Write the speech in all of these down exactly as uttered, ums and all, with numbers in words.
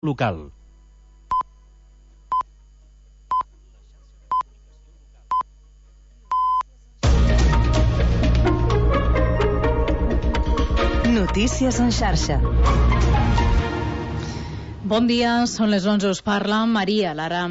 local. Notícies en xarxa. Bon dia, són les onze, us parla Maria Lara.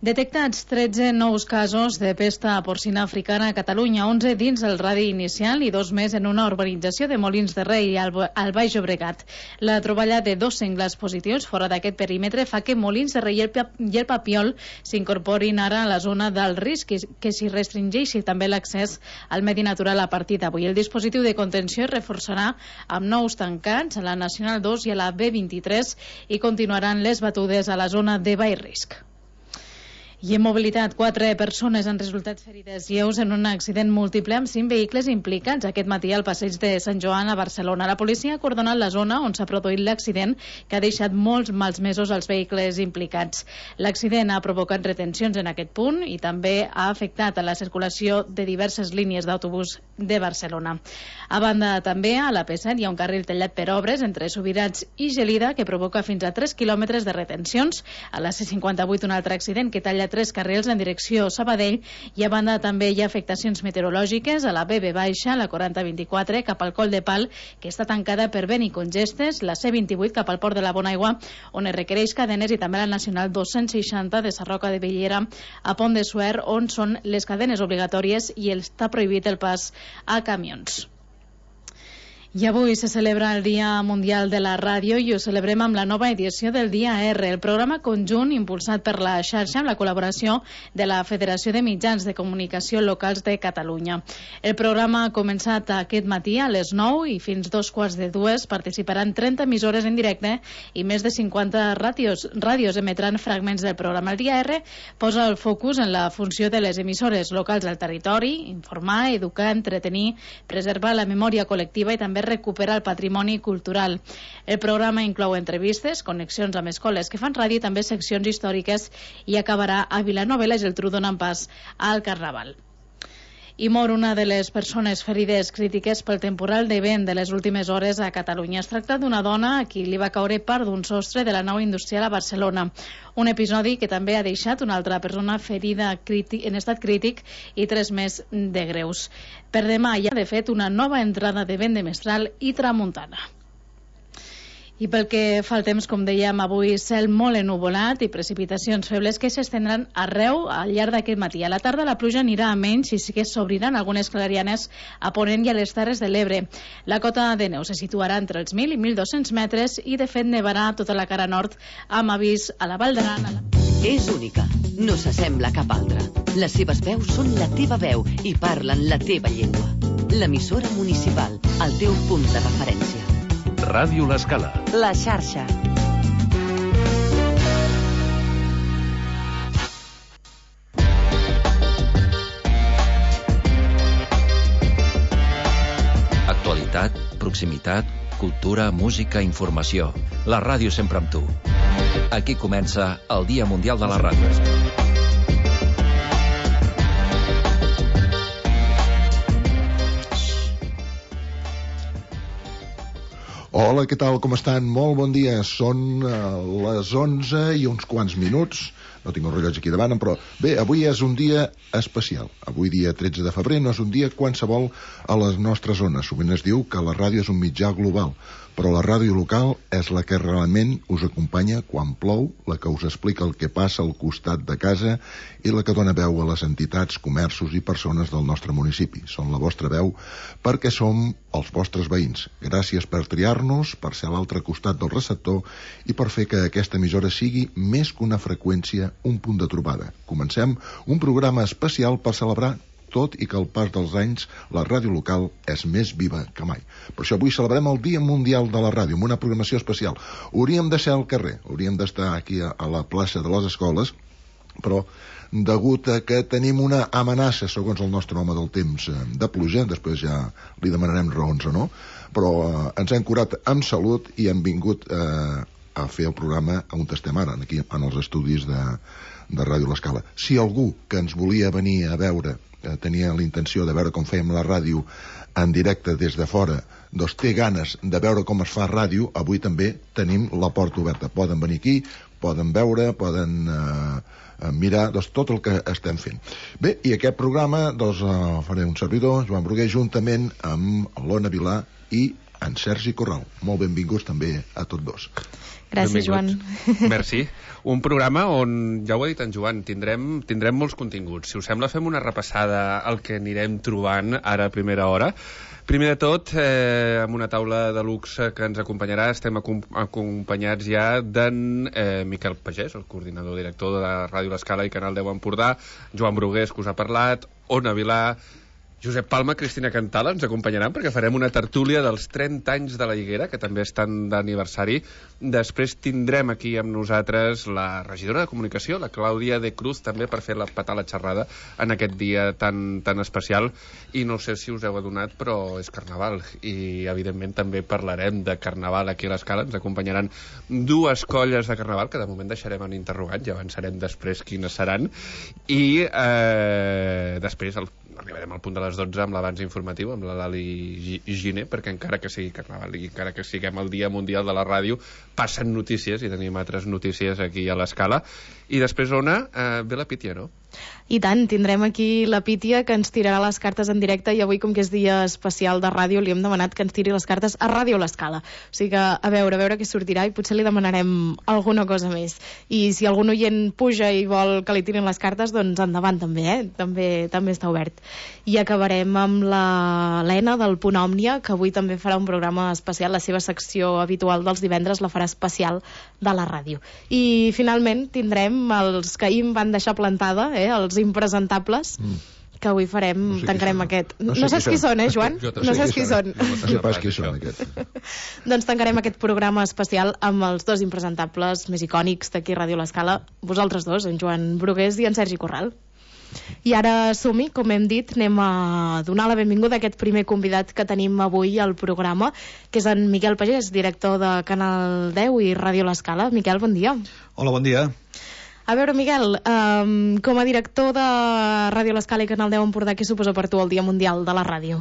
Detectats tretze nous casos de pesta porcina africana a Catalunya, onze dins el radi inicial i dos més en una urbanització de Molins de Rei, al, al Baix Llobregat. La troballa de dos senglars positius fora d'aquest perímetre fa que Molins de Rei i el, i el Papiol s'incorporin ara a la zona d'alt risc, que, que s'hi restringeixi també l'accés al medi natural a partir d'avui. El dispositiu de contenció es reforçarà amb nous tancats a la Nacional dos i a la B vint-i-tres i continuaran les batudes a la zona de baix risc. I en mobilitat, quatre persones han resultat ferides lleus en un accident múltiple amb cinc vehicles implicats aquest matí al passeig de Sant Joan a Barcelona. La policia ha acordonat la zona on s'ha produït l'accident, que ha deixat molts mals mesos als vehicles implicats. L'accident ha provocat retencions en aquest punt i també ha afectat a la circulació de diverses línies d'autobús de Barcelona. A banda, també a la P set hi ha un carril tallat per obres entre Subirats i Gelida que provoca fins a tres quilòmetres de retencions. A la C cinquanta-vuit un altre accident que talla tres carrils en direcció Sabadell i a banda també hi ha afectacions meteorològiques a la B B baixa, la quaranta vint-i-quatre cap al Coll de Pal, que està tancada per vent i congestes, la C vint-i-vuit cap al Port de la Bonaigua, on es requereix cadenes, i també la Nacional dos-cents seixanta de Sarroca de Bellera a Pont de Suert, on són les cadenes obligatòries i està prohibit el pas a camions. I avui se celebra el Dia Mundial de la Ràdio i ho celebrem amb la nova edició del Dia R, el programa conjunt impulsat per la xarxa amb la col·laboració de la Federació de Mitjans de Comunicació Locals de Catalunya. El programa ha començat aquest matí a les nou i fins dos quarts de dues participaran trenta emissores en directe i més de cinquanta ràdios, ràdios emetran fragments del programa. El Dia R posa el focus en la funció de les emissores locals al territori, informar, educar, entretenir, preservar la memòria col·lectiva i també recuperar el patrimoni cultural. El programa inclou entrevistes, connexions amb escoles que fan ràdio i també seccions històriques i acabarà a Vilanova i la Geltrú donant pas al Carnaval. I mor una de les persones ferides crítiques pel temporal de vent de les últimes hores a Catalunya. Es tracta d'una dona a qui li va caure part d'un sostre de la nau industrial a Barcelona. Un episodi que també ha deixat una altra persona ferida en estat crític i tres més de greus. Per demà hi ha, de fet, una nova entrada de vent de mestral i tramuntana. I pel que fa al temps, com dèiem, avui cel molt ennuvolat i precipitacions febles que s'estendran arreu al llarg d'aquest matí. A la tarda la pluja anirà a menys i sí que s'obriran algunes clarianes a Ponent i a les Terres de l'Ebre. La cota de neu se situarà entre els mil i mil dos-cents metres i de fet nevarà tota la cara nord amb avís a la Val d'Aran. La... És única, no s'assembla a cap altra. Les seves veus són la teva veu i parlen la teva llengua. L'emissora municipal, el teu punt de referència. Ràdio L'Escala. La xarxa. Actualitat, proximitat, cultura, música, informació. La ràdio sempre amb tu. Aquí comença el Dia Mundial de la Ràdio. Hola, què tal, com estan? Molt bon dia. Són uh, les onze i uns quants minuts. No tinc el rellotge aquí davant, però bé, avui és un dia especial. Avui, dia tretze de febrer, no és un dia qualsevol a les nostres zones. Sovint es diu que la ràdio és un mitjà global, però la ràdio local és la que realment us acompanya quan plou, la que us explica el que passa al costat de casa i la que dona veu a les entitats, comerços i persones del nostre municipi. Són la vostra veu perquè som els vostres veïns. Gràcies per triar-nos, per ser a l'altre costat del receptor i per fer que aquesta emissora sigui més que una freqüència, un punt de trobada. Comencem un programa especial per celebrar tot i que al pas dels anys la ràdio local és més viva que mai. Per això avui celebrem el Dia Mundial de la Ràdio amb una programació especial. Hauríem de ser al carrer, hauríem d'estar aquí a, a la plaça de les escoles, però degut a que tenim una amenaça, segons el nostre home del temps, de pluja, després ja li demanarem raons o no, però eh, ens hem curat amb salut i hem vingut eh, a fer el programa on estem ara, aquí en els estudis de, de Ràdio L'Escala. Si algú que ens volia venir a veure, eh, tenia la intenció de veure com fèiem la ràdio en directe des de fora, doncs té ganes de veure com es fa ràdio, avui també tenim la porta oberta. Poden venir aquí, poden veure, poden eh, mirar doncs, tot el que estem fent. Bé, i aquest programa doncs, eh, faré un servidor, Joan Bruguer, juntament amb l'Ona Vilà i en Sergi Corral. Molt benvinguts també a tots dos. Gràcies, Joan. Merci. Un programa on, ja ho ha dit en Joan, tindrem, tindrem molts continguts. Si us sembla, fem una repassada al que anirem trobant ara a primera hora. Primer de tot, eh, amb una taula de luxe que ens acompanyarà, estem acompanyats ja d'en eh, Miquel Pagès, el coordinador director de la Ràdio L'Escala i Canal deu Empordà, Joan Brugués, que us ha parlat, Ona Vilà, Josep Palma, Cristina Cantala ens acompanyaran perquè farem una tertúlia dels trenta anys de la Higuera, que també estan d'aniversari. Després tindrem aquí amb nosaltres la regidora de Comunicació, la Clàudia de Cruz, també per fer la petar la xerrada en aquest dia tan, tan especial. I no sé si us heu adonat, però és Carnaval. I, evidentment, també parlarem de Carnaval aquí a l'Escala. Ens acompanyaran dues colles de Carnaval, que de moment deixarem en interrogant, ja avançarem després quines seran. I eh, després el arribarem al punt de les dotze amb l'abans informatiu, amb la Lali Giner, perquè encara que sigui Carnaval i encara que siguem el Dia Mundial de la Ràdio, passen notícies i tenim altres notícies aquí a l'Escala. I després, Ona, eh, ve la Pítia, no? I tant, tindrem aquí la Pítia que ens tirarà les cartes en directe i avui, com que és dia especial de ràdio, li hem demanat que ens tiri les cartes a Ràdio L'Escala. O sigui que, a veure, a veure què sortirà i potser li demanarem alguna cosa més. I si algun oient puja i vol que li tirin les cartes, doncs endavant també, eh? També, també està obert. I acabarem amb la Lena del Punt Òmnia, que avui també farà un programa especial, la seva secció habitual dels divendres la farà especial de la ràdio. I finalment tindrem els que ahir em van deixar plantada, eh? Els impresentables, mm. que avui farem, no sé tancarem aquest... No sé, no saps qui són, eh, Joan? No saps qui són. No sé pas qui són, aquest. Doncs tancarem aquest programa especial amb els dos impresentables més icònics d'aquí a Ràdio L'Escala, vosaltres dos, en Joan Brugués i en Sergi Corral. I ara som-hi, com hem dit, anem a donar la benvinguda a aquest primer convidat que tenim avui al programa, que és en Miquel Pagès, director de Canal deu i Ràdio L'Escala. Miquel, bon dia. Hola, bon dia. A veure, Miquel, um, com a director de Ràdio L'Escala i Canal deu Empordà, què suposa per tu el Dia Mundial de la Ràdio?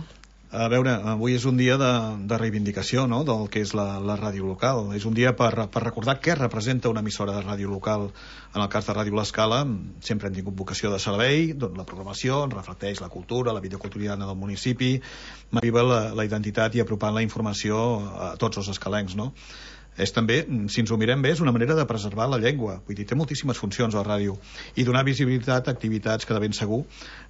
A veure, avui és un dia de, de reivindicació, no?, del que és la, la ràdio local. És un dia per, per recordar què representa una emissora de ràdio local. En el cas de Ràdio L'Escala sempre hem tingut vocació de servei, doncs la programació reflecteix la cultura, la vida quotidiana del municipi, m'aviva la, la identitat i apropant la informació a tots els escalencs, no? És també, si ens ho mirem bé, és una manera de preservar la llengua. Vull dir, té moltíssimes funcions a la ràdio. I donar visibilitat a activitats que de ben segur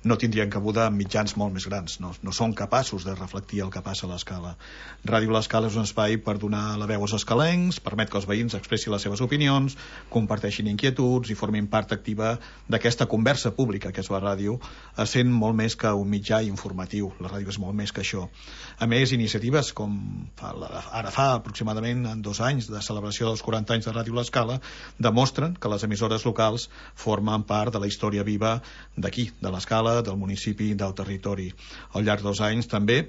no tindrien cabuda en mitjans molt més grans. No, no són capaços de reflectir el que passa a l'Escala. Ràdio L'Escala és un espai per donar la veu als escalencs, permet que els veïns expressin les seves opinions, comparteixin inquietuds i formin part activa d'aquesta conversa pública que és la ràdio, sent molt més que un mitjà informatiu. La ràdio és molt més que això. A més, iniciatives com fa, ara fa aproximadament en dos anys de celebració dels quaranta anys de Ràdio L'Escala demostren que les emissores locals formen part de la història viva d'aquí, de l'Escala, del municipi, del territori. Al llarg dels anys també,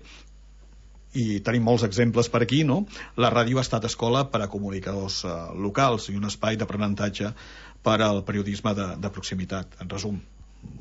i tenim molts exemples per aquí, no?, la ràdio ha estat escola per a comunicadors eh, locals i un espai d'aprenentatge per al periodisme de, de proximitat. En resum,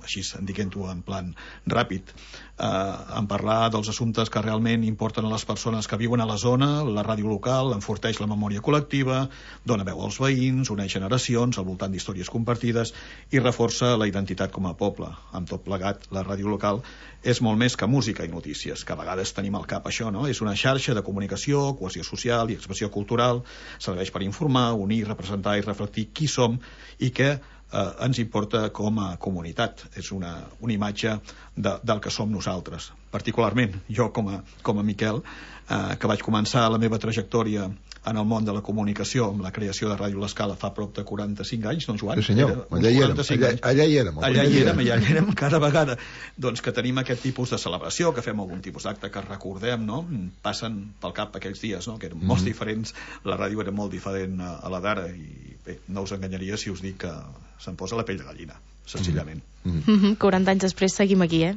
així diguem-ho en plan ràpid, eh, en parlar dels assumptes que realment importen a les persones que viuen a la zona. La ràdio local enforteix la memòria col·lectiva, dona veu als veïns, uneix generacions al voltant d'històries compartides i reforça la identitat com a poble. Amb tot plegat, la ràdio local és molt més que música i notícies, que a vegades tenim al cap això, no? És una xarxa de comunicació, cohesió social i expressió cultural, serveix per informar, unir, representar i reflectir qui som i què Eh, ens importa com a comunitat. És una, una imatge de, del que som nosaltres. Particularment, jo com a, com a Miquel, eh, que vaig començar la meva trajectòria en el món de la comunicació amb la creació de Ràdio L'Escala fa prop de quaranta-cinc anys, no, Joan? Sí, senyor, allà hi érem, allà, allà hi érem. Allà hi érem, allà hi érem cada vegada. Doncs que tenim aquest tipus de celebració, que fem algun tipus d'acte que recordem, no? Passen pel cap aquells dies, no?, que eren mm-hmm. molt diferents, la ràdio era molt diferent a, a la d'ara, i bé, no us enganyaria si us dic que se'm posa la pell de gallina. senzillament. Mm -hmm. quaranta anys després seguim aquí, eh?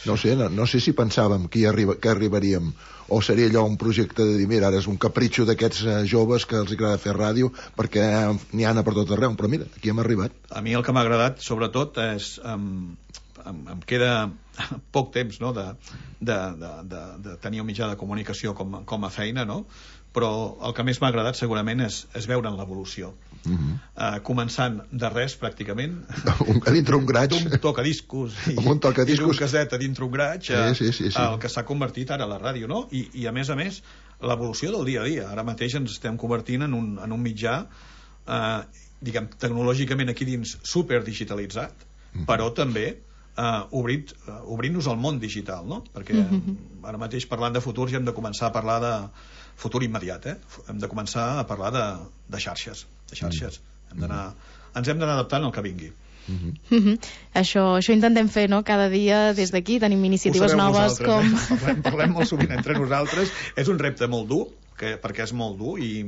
No sé, no, no sé si pensàvem que, hi arriba, que arribaríem, o seria allò un projecte de dir, mira, ara és un capritxo d'aquests eh, joves que els agrada fer ràdio, perquè n'hi ha per tot arreu, però mira, aquí hem arribat. A mi el que m'ha agradat, sobretot, és... Um, em, em queda poc temps, no?, de, de, de, de, de tenir un mitjà de comunicació com, com a feina, no?, però el que més m'ha agradat segurament és, és veure'n l'evolució. Uh -huh. uh, començant de res pràcticament a dintre un graig, d'un tocadiscos i, un tocadiscos. i d'un caset a dintre un graig, sí, sí, sí, sí. el que s'ha convertit ara a la ràdio, no? I, i a més a més l'evolució del dia a dia. Ara mateix ens estem convertint en un, en un mitjà eh, diguem, tecnològicament aquí dins superdigitalitzat, uh -huh. però també eh, obrit, uh, obrint-nos al món digital, no? Perquè uh -huh. ara mateix parlant de futur ja hem de començar a parlar de futur immediat, eh? Hem de començar a parlar de, de xarxes de xarxes. Hem d'anar, ens hem d'anar adaptant al que vingui. Uh-huh. Uh-huh. Això, això intentem fer, no?, cada dia des d'aquí tenim iniciatives noves com... Eh? Parlem, parlem molt sovint entre nosaltres. És un repte molt dur, que, perquè és molt dur i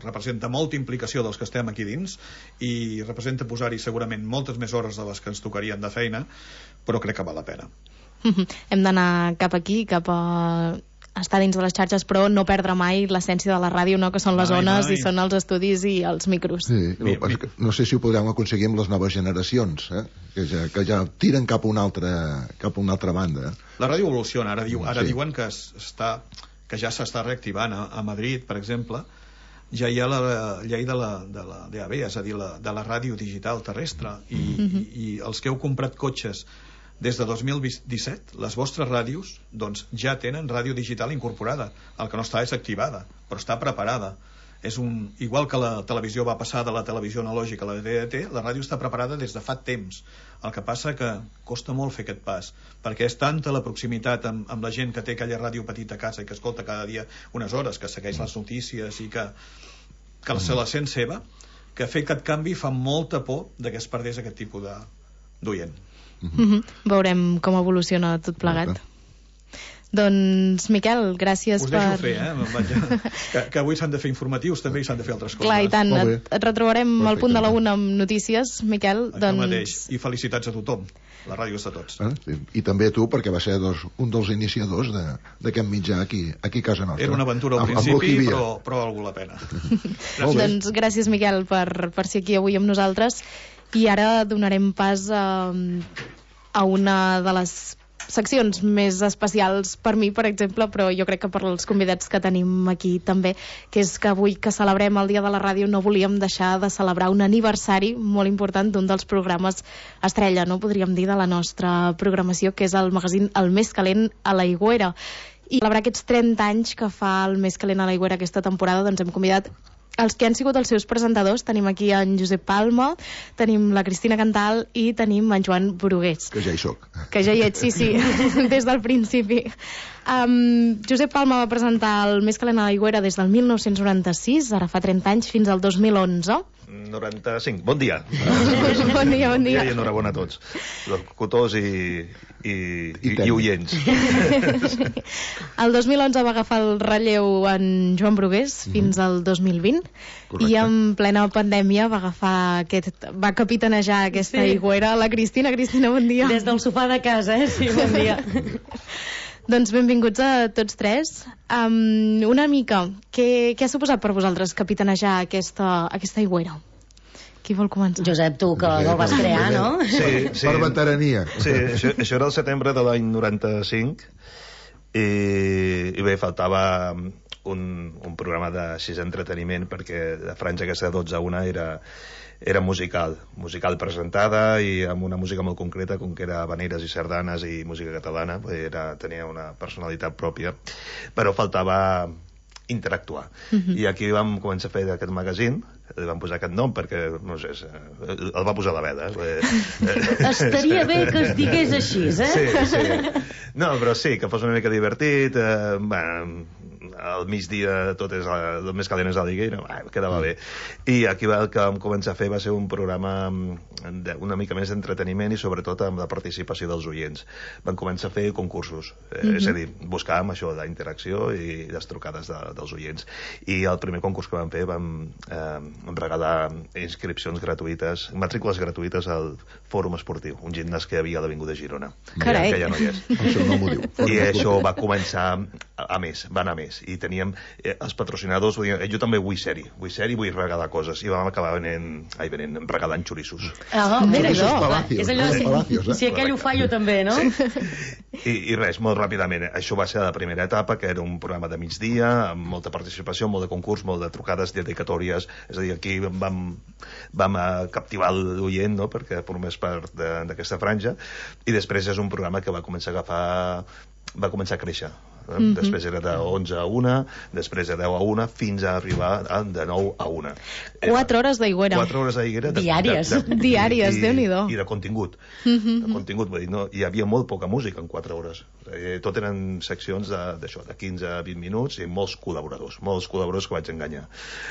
representa molta implicació dels que estem aquí dins i representa posar-hi segurament moltes més hores de les que ens tocarien de feina, però crec que val la pena. Uh-huh. Hem d'anar cap aquí, cap a estar dins de les xarxes, però no perdre mai l'essència de la ràdio, no?, que són les mai, ones mai. I són els estudis i els micros. Sí, no, mi, mi... no sé si ho podrem aconseguir amb les noves generacions, eh? que, ja, que ja tiren cap a una altra, cap a una altra banda. La ràdio evoluciona, ara, diu, ara sí. diuen que, està, que ja s'està reactivant a, a Madrid, per exemple, ja hi ha la llei de la, de la D A B, és a dir, la, de la ràdio digital terrestre, i, mm-hmm. i, i els que heu comprat cotxes des de dos mil disset, les vostres ràdios doncs, ja tenen ràdio digital incorporada. El que no està és activada, però està preparada. És un, igual que la televisió va passar de la televisió analògica a la D D T, la ràdio està preparada des de fa temps. El que passa que costa molt fer aquest pas, perquè és tanta la proximitat amb, amb la gent que té aquella ràdio petita a casa i que escolta cada dia unes hores, que segueix les notícies i que, que se la sent seva, que fer aquest canvi fa molta por de que es perdés aquest tipus d'oient. Mm-hmm. Veurem com evoluciona tot plegat. Okay. Doncs, Miquel, gràcies per... Us per... deixo fer, eh? que, que avui s'han de fer informatius també i s'han de fer altres coses. Clar, i tant. Et, et retrobarem Perfecte. Al punt de la una amb notícies, Miquel. Això doncs... mateix. I felicitats a tothom. La ràdio és de tots. Ah, sí. I també a tu, perquè va ser dos, un dels iniciadors d'aquest mitjà aquí, aquí a casa nostra. Era una aventura al principi, però, però ha valgut la pena. Doncs gràcies, Miquel, per, per ser aquí avui amb nosaltres. I ara donarem pas a, a una de les seccions més especials per mi, per exemple, però jo crec que per als convidats que tenim aquí també, que és que avui que celebrem el Dia de la Ràdio no volíem deixar de celebrar un aniversari molt important d'un dels programes estrella, no podríem dir, de la nostra programació, que és el magazín El Més Calent a l'Aigüera. I celebrar aquests trenta anys que fa El Més Calent a l'Aigüera aquesta temporada, doncs hem convidat els que han sigut els seus presentadors. Tenim aquí en Josep Palma, tenim la Cristina Cantal i tenim en Joan Brugués. Que ja hi soc. Que ja hi ets, sí, sí, des del principi. Um, Josep Palma va presentar El Més Calent a l'Aigüera des del mil nou-cents noranta-sis, ara fa trenta anys, fins al dos mil onze. noranta-cinc. Bon dia. Bon dia, bon dia. I enhorabona a tots, locutors i, i, i, i oients. El dos mil onze va agafar el relleu en Joan Brugués fins al dos mil vint. Correcte. I en plena pandèmia va agafar aquest, va capitanejar aquesta sí. aigüera. La Cristina. Cristina, bon dia. Des del sofà de casa, eh? Sí, bon dia. Doncs benvinguts a tots tres. Um, una mica, què, què ha suposat per vosaltres capitanejar aquesta, aquesta aigüera? Qui vol començar? Josep, tu, que Josep, el vas crear, Josep. No? Sí, sí. Per veterania. Sí, això, això era el setembre de l'any noranta-cinc i, i bé, faltava un, un programa de sis entreteniment perquè la franja aquesta de dotze a una era... era musical, musical presentada i amb una música molt concreta, com que era habaneres i sardanes i música catalana, era, tenia una personalitat pròpia, però faltava interactuar. Uh-huh. I aquí vam començar a fer aquest magazín, li vam posar aquest nom perquè, no sé, el va posar la Veda. Estaria bé que es digués així, eh? Sí, sí. No, però sí, que fos una mica divertit, eh, bueno, al migdia tot és la, el més calent és a l'Higuera, quedava bé. I aquí el que vam començar a fer va ser un programa de, una mica més d'entreteniment i sobretot amb la participació dels oients. Vam començar a fer concursos, eh, mm-hmm. és a dir, buscàvem això, la interacció i les trucades de, dels oients. I el primer concurs que vam fer vam eh, regalar inscripcions gratuïtes, matrícules gratuïtes al Fòrum Esportiu, un gimnàs que hi havia a l'Avinguda Girona. Carai. Que ja no hi és. Això no m'ho diu. I això va començar a, a més, va anar a més. I teníem eh, els patrocinadors, vull dir, jo també vull ser-hi, vull ser-hi, vull regalar coses. I vam acabar venent, ai, venent regalant xorissos. Ah, mira, Xorissos no. palacios, És allò, eh? si, Palacios, eh? si aquell ho fa, jo també, no? I, I res, molt ràpidament. Això va ser la primera etapa, que era un programa de migdia, amb molta participació, molt de concurs, molt de trucades, dedicatòries. És a dir, aquí vam, vam captivar l'oient, no?, perquè formés part d'aquesta franja. I després és un programa que va començar a agafar... va començar a créixer. Mm-hmm. Després era de onze a una, després de deu a una, fins a arribar a de nou a una. Quatre hores d'Aigüera. Quatre hores d'Aigüera. Diàries. De, de, Diàries, i, Déu-n'hi-do. I de contingut. Mm-hmm. De contingut, vull dir, no, hi havia molt poca música en quatre hores. Eh, tot eren seccions d'això, de, de quinze a vint minuts i molts col·laboradors, molts col·laboradors que vaig enganyar.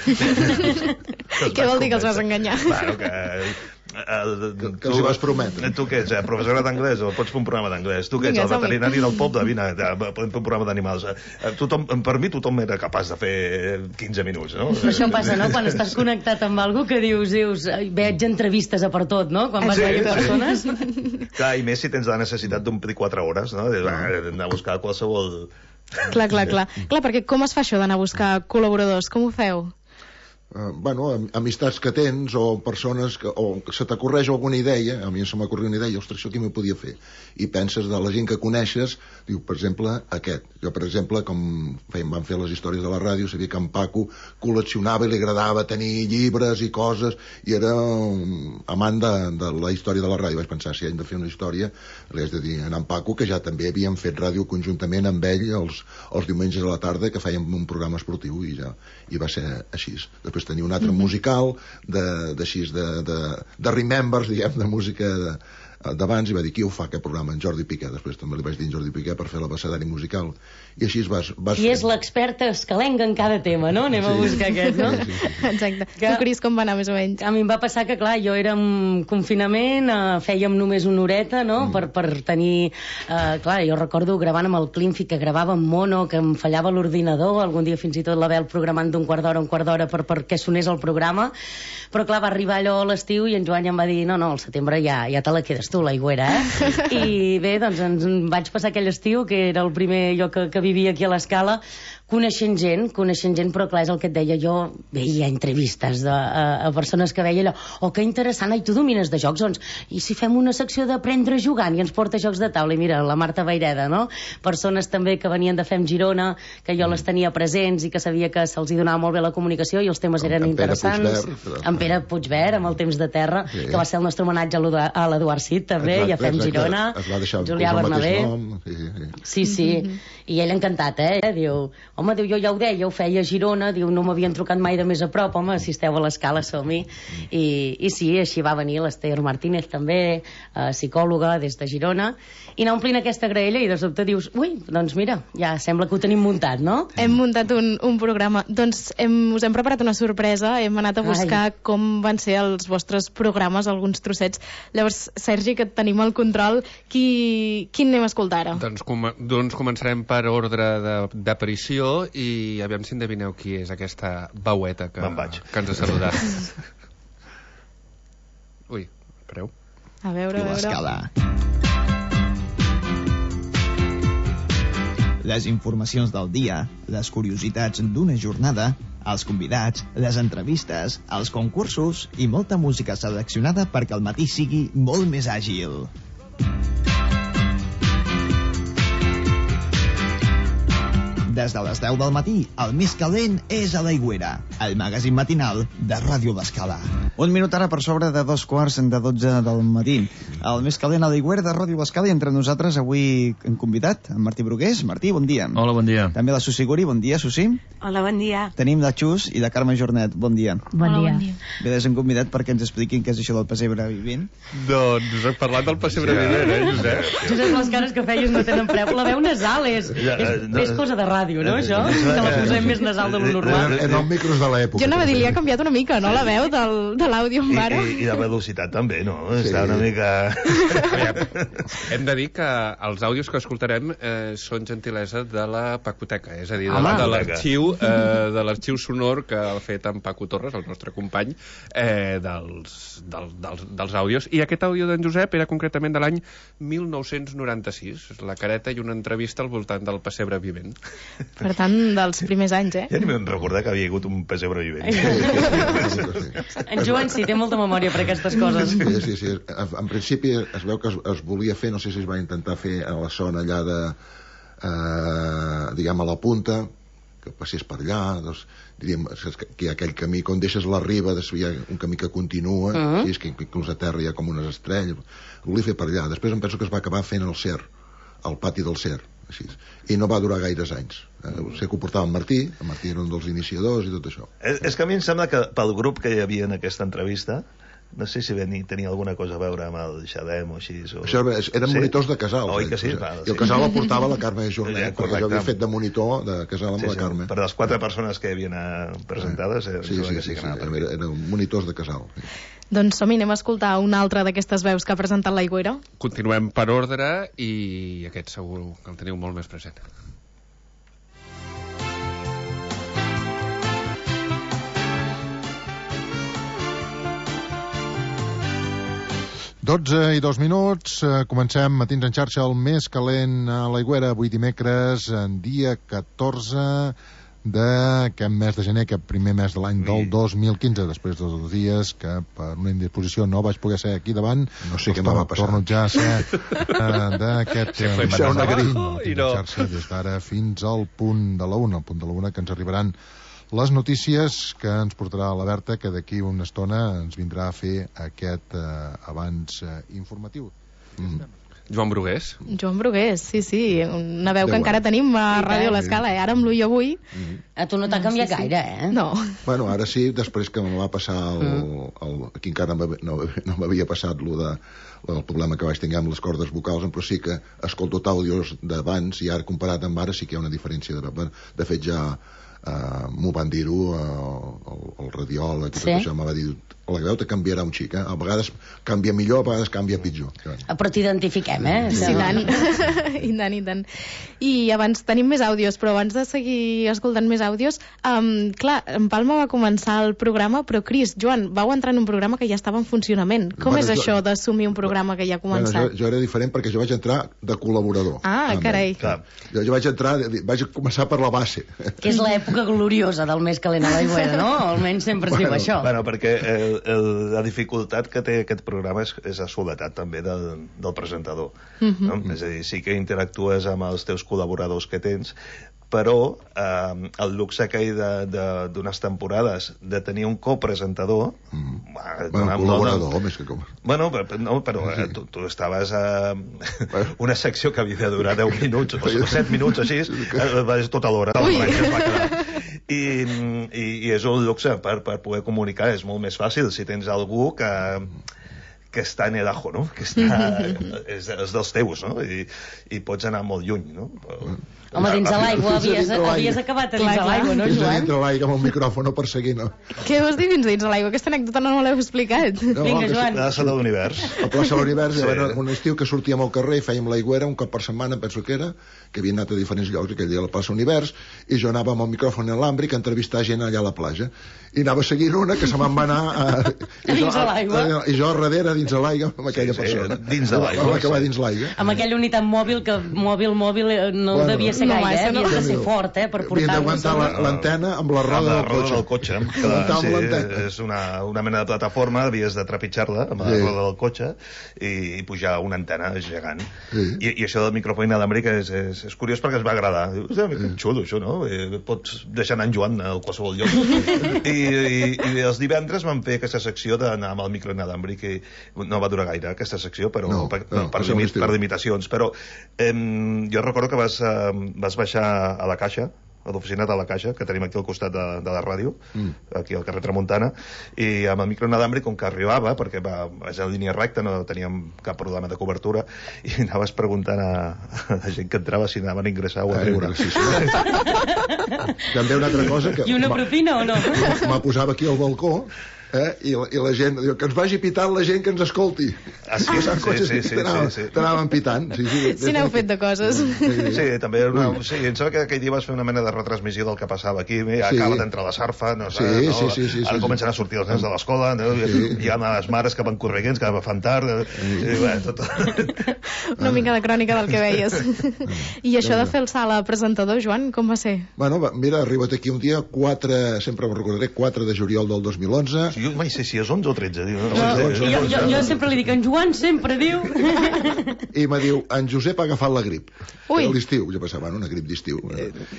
Què vol dir que els vas enganyar? Claro, que... El, que, que els hi vas prometre. Tu què ets, professora d'anglès o pots fer un programa d'anglès? Tu què ets, el veterinari del poble? Vine, podem fer un programa d'animals. Tothom, per mi tothom era capaç de fer quinze minuts, no? Això passa, no?, quan estàs connectat amb algú que dius, dius, veig entrevistes a per tot, no?, quan vas sí, veure persones. Clar, i més si tens la necessitat d'omplir quatre hores, no? D'anar a buscar qualsevol... Clar, clar, clar. Clar, perquè com es fa això d'anar a buscar col·laboradors? Com ho feu? Uh, bueno, amistats que tens o persones que, o que se t'acorreix alguna idea, a mi se m'acorre una idea, ostres, això qui m'ho podia fer? I penses de la gent que coneixes, diu, per exemple, aquest. Jo, per exemple, com fèiem, vam fer les històries de la ràdio, sabia que en Paco col·leccionava i li agradava tenir llibres i coses, i era um, amant de, de la història de la ràdio. Vaig pensar, si hem de fer una història, li haig de dir a en Paco, que ja també havíem fet ràdio conjuntament amb ell els, els diumenges a la tarda, que fèiem un programa esportiu, i ja i va ser així. Després tenia un altre mm-hmm. musical de, de, de, de, de Remembers, diguem, de música de, d'abans, i va dir, qui ho fa aquest programa? En Jordi Piqué. Després també li vaig dir en Jordi Piqué per fer l'abecedari musical, i així es vas... vas I és l'experta escalenga en cada tema, no? Anem sí. a buscar aquest, no? Sí, sí, sí. Exacte. Que... Tu, Cris, com va anar més o menys? A mi em va passar que, clar, jo era en confinament, eh, fèiem només una horeta, no?, mm. per, per tenir... Eh, clar, jo recordo gravant amb el Clinfi, que gravava en mono, que em fallava l'ordinador, algun dia fins i tot l'Abel programant d'un quart d'hora, un quart d'hora per, per què sonés el programa, però clar, va arribar allò a l'estiu i en Joan ja em va dir, no, no, al setembre ja, ja te la quedes tu, l'Aigüera, eh? I bé, doncs ens vaig passar aquell estiu, que era el primer lloc que, que vivia aquí a l'Escala, coneixent gent, coneixent gent, però clar, és el que et deia, jo veia entrevistes de, a, a persones que veia allò, oh, que interessant, i tu domines de jocs, doncs, i si fem una secció d'aprendre jugant i ens porta jocs de taula, i mira, la Marta Vaireda, no? Persones també que venien de Fem Girona, que jo les tenia presents i que sabia que se'ls hi donava molt bé la comunicació i els temes eren interessants. En Pere Puigvert, amb el Temps de Terra, sí. que va ser el nostre homenatge a l'Eduard Cid, també, exacte, i a Fem exacte. Girona, es va deixar Julià Bernabé. Sí, sí, sí. sí, sí. Mm-hmm. I ell encantat, eh? Diu, home, diu, jo ja ho deia, ho feia a Girona, diu, no m'havien trucat mai de més a prop, home, si esteu a l'Escala, som-hi. I, I sí, així va venir l'Ester Martínez també, eh, psicòloga des de Girona, i anar omplint aquesta graella i de sobte dius, ui, doncs mira, ja sembla que ho tenim muntat, no? Hem muntat un, un programa. Doncs hem, us hem preparat una sorpresa, hem anat a buscar Ai. com van ser els vostres programes, alguns trossets. Llavors, Sergi, que et tenim al control, qui, quin anem a escoltar ara? Doncs, com, doncs començarem per ordre d'aparició i aviam si endevineu qui és aquesta veueta que, que ens ha saludat. Ui, espereu. A veure, a veure. L'Escala. Les informacions del dia, les curiositats d'una jornada, els convidats, les entrevistes, els concursos i molta música seleccionada perquè el matí sigui molt més àgil. Des de les deu del matí, el més calent és a l'Aigüera, el magazín matinal de Ràdio L'Escala. Un minut ara per sobre de dos quarts de dotze del matí. El més calent a l'Aigüera de Ràdio L'Escala, i entre nosaltres avui hem convidat en Martí Brugués. Martí, bon dia. Hola, bon dia. També la Susi Guri, bon dia, Susi. Hola, bon dia. Tenim la Xus i la Carme Jornet. Bon dia. Bon dia. Bé, les hem convidat perquè ens expliquin què és això del pessebre vivent. Doncs us hem parlat del pessebre vivent, eh, Josep? Josep, les cares que feies no tenen preu. La veu nasal és, és, és cosa de ràdio, no, això? Que la posem més nasal de lo normal. En els micros de l'època. Jo anava a dir, li ha canviat una mica, no, la veu del, de l'àudio amb ara? I, i, I la velocitat també, no? Sí. Està una mica... Hem de dir que els àudios que escoltarem eh, són gentilesa de la Pacoteca, és a dir, de, Home. de l'arxiu eh, de l'arxiu sonor que ha fet en Paco Torres, el nostre company, eh, dels, dels, dels, dels àudios. I aquest àudio d'en Josep era concretament de l'any mil nou-cents noranta-sis, la careta i una entrevista al voltant del pessebre vivent. Per tant, dels primers anys, eh? Ja ni me'n recordar que havia hagut un pessebre vivent. En Joan sí, té molta memòria per aquestes coses. Sí, sí, sí. En principi es veu que es, es volia fer, no sé si es va intentar fer a la zona allà de, eh, diguem, a la punta, que passés per allà, doncs, diríem, que hi ha aquell camí, quan deixes la riba, hi ha un camí que continua, uh -huh. sí, és que inclús a terra hi ha com unes estrelles, ho volia fer per allà. Després em penso que es va acabar fent el Cer, al pati del Cer, així. I no va durar gaires anys. Eh, sé que ho portava en Martí, en Martí era un dels iniciadors i tot això. És, és que a mi em sembla que pel grup que hi havia en aquesta entrevista, no sé si venia, tenia alguna cosa a veure amb el Xadem o així. O... Això eren sí? monitors de casal. Oi que sí? I Val, el sí. casal el portava la Carme Jornet, Ja, perquè jo havia fet de monitor de casal amb sí, la sí, Carme. Per les quatre persones que hi havien presentades, eh, sí, sí, sí, sí, sí, eren, eren monitors de casal. Sí. Doncs som-hi, anem a escoltar una altra d'aquestes veus que ha presentat l'Aigüera. Continuem per ordre i aquest segur que el teniu molt més present. dotze i dos minuts, eh, comencem Matins en xarxa, el més calent a l'Aigüera, avui dimecres, en dia catorze d'aquest mes de gener, aquest primer mes de l'any del dos mil quinze, després de dos dies que per una indisposició no vaig poder ser aquí davant, no sé què m'ha passat, torno ja a ser eh, d'aquest sí, eh, Matins en xarxa des d'ara fins al punt de la una, al punt de la una, que ens arribaran les notícies que ens portarà la Berta, que d'aquí una estona ens vindrà a fer aquest eh, avanç eh, informatiu. Mm. Joan Brugués. Joan Brugués, sí, sí, una veu que encara tenim a Ràdio L'Escala, eh? Ara amb l'U i avui. Mm. A tu no t'ha canviat sí, sí. gaire, eh? No. Bueno, ara sí, després que me va passar el, el, aquí encara no, no m'havia passat lo de, el problema que vaig tenir amb les cordes vocals, però sí que escolto àudios d'abans i ara comparat amb ara sí que hi ha una diferència. De, de fet ja Uh, m'ho van dir-ho uh, el, el radiòleg i tot sí? Això me va dir, la veu te canviarà un xic, eh? A vegades canvia millor, a vegades canvia pitjor. Però t'identifiquem, eh? Sí, i tant. I tant, i tant. I abans tenim més àudios, però abans de seguir escoltant més àudios, um, clar, en Palma va començar el programa, però Cris, Joan, vau entrar en un programa que ja estava en funcionament. Com bueno, és jo, això d'assumir un programa que ja ha començat? Bueno, jo, jo era diferent perquè jo vaig entrar de col·laborador. Ah, també. Carai. Clar. Jo, jo vaig entrar, vaig començar per la base. Que és l'època gloriosa del més calent a l'Aigüera, no? Almenys sempre es bueno, diu això. Bueno, perquè el, el, la dificultat que té aquest programa és, és la soledat també del, del presentador. Uh -huh. No? És a dir, sí que interactues amb els teus col·laboradors que tens, però eh, el luxe que hi d'unes temporades de tenir un copresentador mm. bueno, col·laborador més que com bueno, però, no, però sí. eh, tu, tu estaves a eh, una secció que havia de durar deu minuts o set minuts així, eh, vas tota l'hora I, i, i és un luxe per, per poder comunicar, és molt més fàcil si tens algú que que està en el ajo, no? Que està, és, és dels teus, no? I, i pots anar molt lluny, no? Però... Home, dins de l'aigua, havies, havies acabat a dins de l'aigua, no, Joan? Dins de l'aigua amb el micròfon no perseguint, no? Què vols dir dins dins de l'aigua? Aquesta anècdota no l'heu explicat. No, Vinga, Joan. La plaça de l'univers. La plaça de l'univers, sí. Era un estiu que sortíem al carrer i fèiem l'Aigüera un cop per setmana, penso que era, que havien anat a diferents llocs, aquell dia a la plaça Univers, i jo anava amb el micròfon en l'àmbric a entrevistar gent allà a la platja. I anava seguint una que se me'n va anar a, i dins de l'aigua. I jo a darrere, dins de l'aigua, amb aquella sí, sí, persona. Dins de l'aigua. Va acabar dins l'aigua. Amb aquella unitat mòbil, que mòbil, mòbil no bueno, devia ser gaire, eh? Havies de ser fort, eh? Per portar-nos. Havia d'aguantar l'antena amb la roda del cotxe. Del cotxe. Sí, és una, una mena de plataforma, havies de trepitjar-la amb la sí. roda del cotxe i, i pujar una antena gegant. Sí. I, I això del micròfon inalàmbric és, és, és curiós perquè es va agradar. Dius, que xulo, això, no? Eh, pots deixar anar en Joan a qualsevol lloc. I, i, i els divendres vam fer aquesta secció d'anar amb el micro inalàmbric i no va durar gaire aquesta secció, però no, per, no, per, limit, per limitacions. Però eh, jo recordo que vas, eh, vas baixar a la caixa a l'oficina de la Caixa, que tenim aquí al costat de, de la ràdio, mm. aquí al carrer Tramuntana, i amb el micro inalàmbric, com que arribava, perquè va, és en línia recta, no teníem cap problema de cobertura, i anaves preguntant a, a la gent que entrava si anaven a ingressar o a treure. Sí, sí. També una altra cosa que... I una propina o no? Me posava aquí al balcó, eh? I, la, i la gent diu que ens vagi pitant la gent que ens escolti. Ah, sí, sí, sí, sí, sí, t'anaven sí, sí. t'anaven pitant. Sí, sí, sí, n'heu fet de coses. Sí, també una, sí, em sembla que aquell dia vas fer una mena de retransmissió del que passava aquí, ja sí. acaba d'entrar la sarfa, no sé, sí, no? sí, sí, sí, ara sí, comencen a sortir els nens de l'escola, no? Sí. Hi ha les mares que van correguents, que fan tard, sí. i, bé, tot... Una mica de crònica del que veies. I això de fer el salt a presentador, Joan, com va ser? Bueno, va, mira, arriba't aquí un dia, quatre, sempre em recordaré, quatre de juliol del dos mil onze. Sí, jo mai sé si és onze o tretze. Diu, no, no, jo, jo, jo, jo sempre li dic, en Joan sempre diu... I me diu, en Josep ha agafat la grip. Ui. A l'estiu, jo pensava, bueno, una grip d'estiu.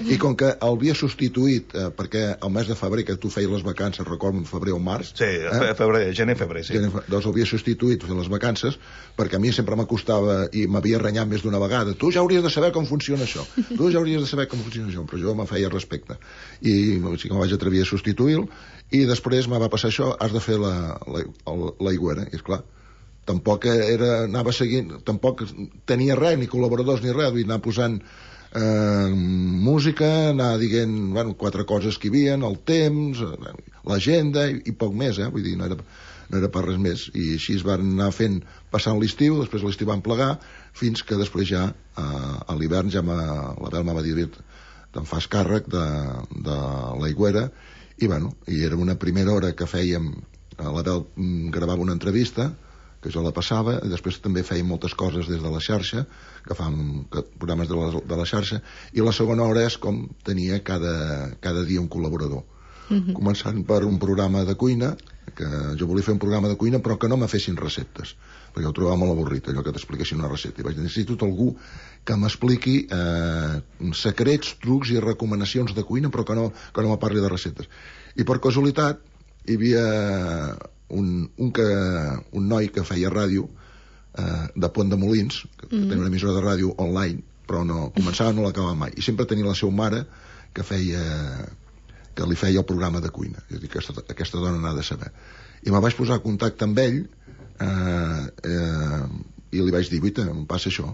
I com que el havia substituït, eh, perquè el mes de febrer, que tu feies les vacances, recordo, en febrer o març... Sí, eh? febrer, gener, febrer, sí. Gener, doncs l'havia substituït fent les vacances, perquè a mi sempre m'acostava i m'havia renyat més d'una vegada. Tu ja hauries de saber com funciona això. Tu ja hauries de saber com funciona això. Però jo me feia respecte. I sí que me vaig atrevir a substituir-lo, i després me va passar això, has de fer la, la, l'aigüera, i esclar, tampoc era, anava seguint, tampoc tenia res, ni col·laboradors ni res, vull anar posant eh, música, anar dient, bueno, quatre coses que hi havia, el temps, l'agenda, i, i poc més, eh, vull dir, no era, no era per res més, i així es van anar fent, passant l'estiu, després l'estiu van plegar, fins que després ja, eh, a l'hivern, ja la Bel m'ha dit, te'n fas càrrec de, de l'aigüera, i bueno, i era una primera hora que fèiem, la Bel gravava una entrevista que jo la passava, i després també fèiem moltes coses des de la xarxa, que fàvem programes de la, de la xarxa, i la segona hora és com tenia cada, cada dia un col·laborador. Mm-hmm. Començant per un programa de cuina, que jo volia fer un programa de cuina però que no me fessin receptes, perquè ho trobava molt avorrit, allò que t'expliquessin una recepta, i vaig dir, necessito algú que m'expliqui eh, secrets, trucs i recomanacions de cuina, però que no, que no me parli de receptes. I per casualitat hi havia un, un, que, un noi que feia ràdio eh, de Pont de Molins, que mm. tenia una emissora de ràdio online, però no començava, no l'acabava mai, i sempre tenia la seva mare que feia que li feia el programa de cuina. Jo dic, aquesta, aquesta dona n'ha de saber. I me vaig posar en contacte amb ell eh, eh, i li vaig dir, guaita, em passa això.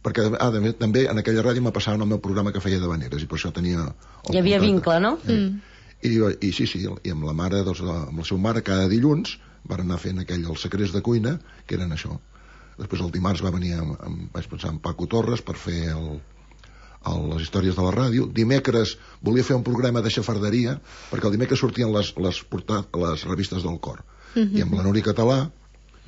Perquè ah, també, també en aquella ràdio me passaven el meu programa que feia d'habaneres, i per això tenia... Hi havia contacte. Vincle, no? Sí. Mm. I, I sí, sí, i amb la mare, doncs, amb la seva mare, cada dilluns van anar fent aquell, els secrets de cuina, que eren això. Després el dimarts va venir, amb, amb, vaig pensar, en Paco Torres per fer el... les històries de la ràdio. Dimecres volia fer un programa de xafarderia, perquè el dimecres sortien les, les, portat, les revistes del cor. Mm-hmm. I amb la Núria Català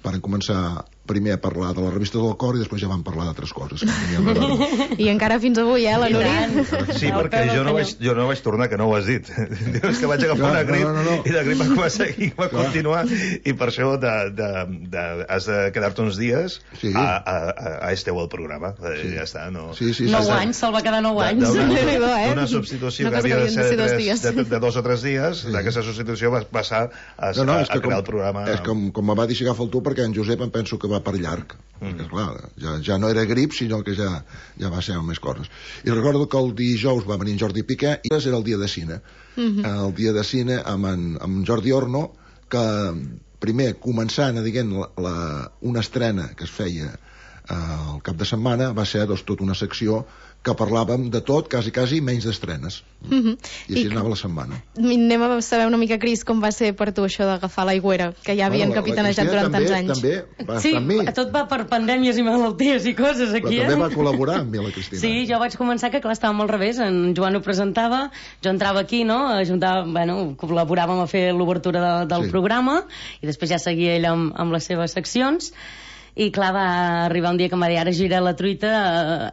van començar primer a parlar de les revistes del cor i després ja van parlar d'altres coses que no i encara fins avui, eh, la Núria? Sí, perquè jo no, vaig, jo no vaig tornar, que no ho has dit. Dius que vaig agafar una grip, no, no, no. i la grip va començar i va Clar. continuar, i per això de, de, de, has de quedar-te uns dies sí. a, a, a esteu al programa. Sí. Ja està, no... Sí, sí, sí, nou sí. anys, se'l va quedar nou anys. D'una substitució no que havia de ser de, tres, de, de dos o tres dies, sí. d'aquesta substitució va passar a, no, no, a, a crear com, el programa. És com, com me va dir si agafa el tu, perquè en Josep em penso que va per llarg. Mm. Perquè, clar, ja, ja no era grip, sinó que ja, ja va ser més coses. I recordo que el dijous va venir en Jordi Piqué i era el dia de cine. Mm-hmm. El dia de cine amb en, amb Jordi Orno, que primer, començant, diguem, la, la, una estrena que es feia eh, el cap de setmana, va ser doncs, tota una secció que parlàvem de tot, quasi, quasi, menys d'estrenes. Mm-hmm. I així I anava la setmana. Anem a saber una mica, Cris, com va ser per tu això d'agafar l'aigüera, que ja havien bueno, capitanejat durant també, tants anys. També va sí, estar amb mi. Tot va per pandèmies i malalties i coses aquí, però eh? també va col·laborar amb mi, la Cristina. Sí, jo vaig començar que, clar, estàvem al revés. En Joan ho presentava, jo entrava aquí, no?, ajuntava, bueno, col·laboràvem a fer l'obertura de, del sí. programa, i després ja seguia ell amb, amb les seves seccions. I clar, va arribar un dia que em va dir, ara gira la truita,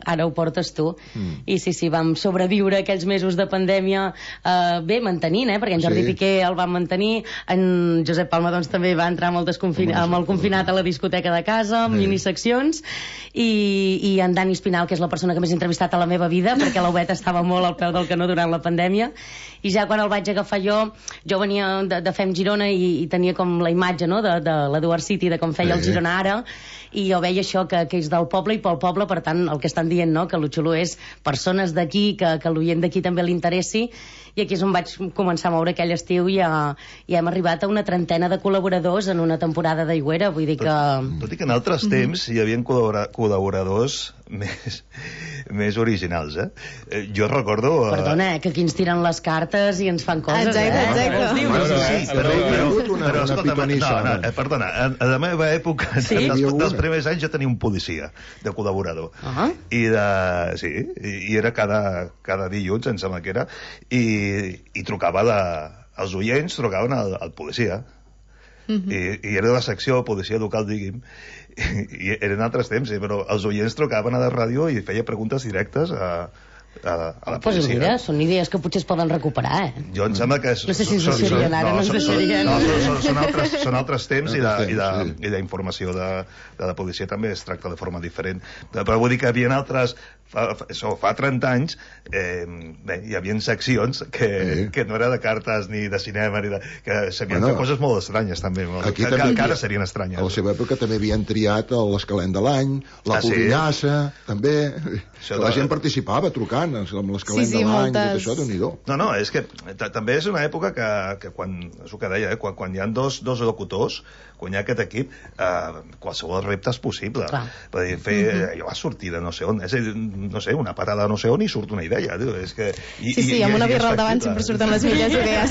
ara ho portes tu. Mm. I sí, sí, vam sobreviure aquells mesos de pandèmia, eh, bé, mantenint, eh, perquè en Jordi sí. Piqué el va mantenir, en Josep Palma doncs també va entrar amb el, desconfin... amb el confinat a la discoteca de casa, amb sí. miniseccions, i, i en Dani Espinal, que és la persona que més he entrevistat a la meva vida, perquè l'Obet estava molt al peu del canó durant la pandèmia, i ja quan el vaig agafar jo, jo venia de, de Fem Girona i, i tenia com la imatge, no?, de, de l'Eduard City, de com feia sí. el Girona ara, i jo veia això, que, que és del poble i pel poble, per tant, el que estan dient, no?, que el xulo és persones d'aquí, que, que l'oient d'aquí també li interessi, i aquí és on vaig començar a moure aquell estiu i, a, i hem arribat a una trentena de col·laboradors en una temporada d'Aigüera, vull dir que... Tot, tot i que en altres temps hi havia col·laboradors més, més originals, eh? eh? Jo recordo... Uh... Perdona, eh, que aquí ens tiren les cartes i ens fan coses, exacte, eh? Exacte, exacte. Bueno, sí, però, però, una, però escolta, no, no, eh, perdona, a, a la meva època, sí? dels, dels primers anys, jo tenia un policia de col·laborador. Uh -huh. I de... Sí, i, i era cada, cada dilluns, em sembla que era, i, i trucava de... Els oients trucaven al, al policia. Uh -huh. I, i era de la secció policia local, digui'm, i, i eren altres temps, eh, però els oients trucaven a la ràdio i feia preguntes directes a, a, a la pues policia. Mira, són idees que potser es poden recuperar, eh? Jo em sembla que... No sé si ens deixarien ara, no ens deixarien. No, són, són, altres, són altres temps i la, i la, i la informació de, de la policia també es tracta de forma diferent. Però vull dir que hi havia altres... Fa, això, fa trenta anys eh, bé, hi havia seccions que, sí. que no era de cartes ni de cinema ni de, que s'havien bueno, fet coses molt estranyes també, aquí que, també que ara serien estranyes. A la seva època també havien triat l'escalent de l'any, la ah, Pudinassa, sí? també això la de... gent participava trucant amb l'escalent sí, sí, de l'any moltes... i tot això, Déu-n'hi-do. No, no, és que també és una època que, que quan, és el que deia, eh, quan, quan hi ha dos, dos locutors, quan hi ha aquest equip, eh, qualsevol repte és possible. Per dir, fer, mm -hmm. jo va sortir de no sé on, és a dir, no sé, una parada no sé on i surt una idea. Diu, és que, i, sí, sí, i, amb una birra al davant sempre surten les millors idees.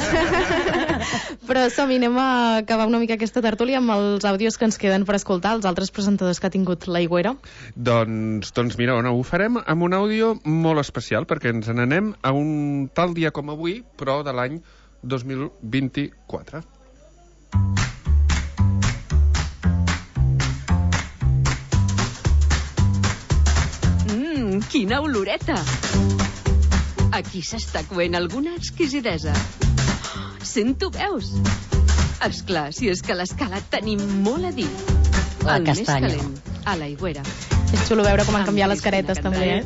Però som-hi, anem a acabar una mica aquesta tertúlia amb els àudios que ens queden per escoltar, els altres presentadors que ha tingut l'Aigüera. Doncs, doncs mira, no, ho farem amb un àudio molt especial, perquè ens n'anem a un tal dia com avui, però de l'any dos mil vint-i-quatre. Quina oloreta! Aquí s'està coent alguna exquisidesa. Sento veus? Esclar, si és que a l'Escala tenim molt a dir. La el castanya. Més calent, a l'Aigüera. És xulo veure com han canviat les caretes, també, eh?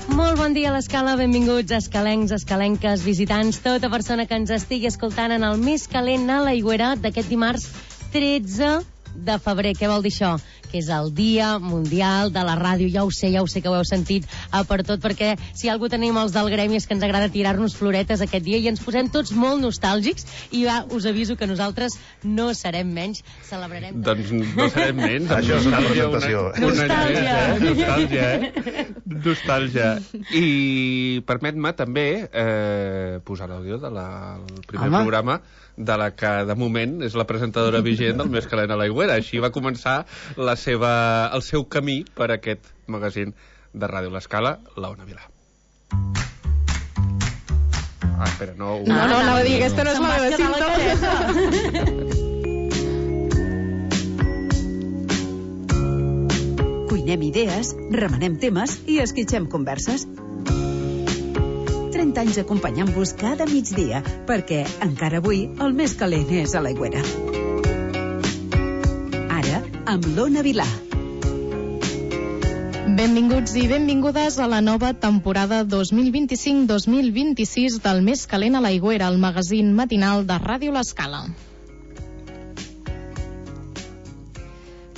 Molt bon dia a l'Escala, benvinguts escalencs, escalenques, visitants, tota persona que ens estigui escoltant en el més calent a l'Aigüera d'aquest dimarts tretze de febrer. Què vol dir això? Que és el Dia Mundial de la Ràdio. Ja ho sé, ja ho sé que ho heu sentit a per tot, perquè si algú tenim els del gremi és que ens agrada tirar-nos floretes aquest dia i ens posem tots molt nostàlgics i va, us aviso que nosaltres no serem menys, celebrarem... Doncs no serem menys. Això és una presentació. Una, una nostàlgia. Una, nostàlgia, eh? Nostàlgia. I permet-me també eh, posar l'àudio del primer Home. programa de la que, de moment, és la presentadora vigent del Més calent a l'Aigüera. Així va començar la seva, el seu camí per aquest magazín de Ràdio l'Escala, la Ona Vilà. Ah, espera, no... No, no, no, no, no, aquesta no és la meva cinta. Cuinem idees, remenem temes i esquitxem converses. trenta anys acompanyant-vos cada migdia, perquè encara avui el més calent és a l'Aigüera. Ara, amb l'Ona Vilà. Benvinguts i benvingudes a la nova temporada dos mil vint-i-cinc dos mil vint-i-sis del Més calent a l'Aigüera, el magazín matinal de Ràdio l'Escala.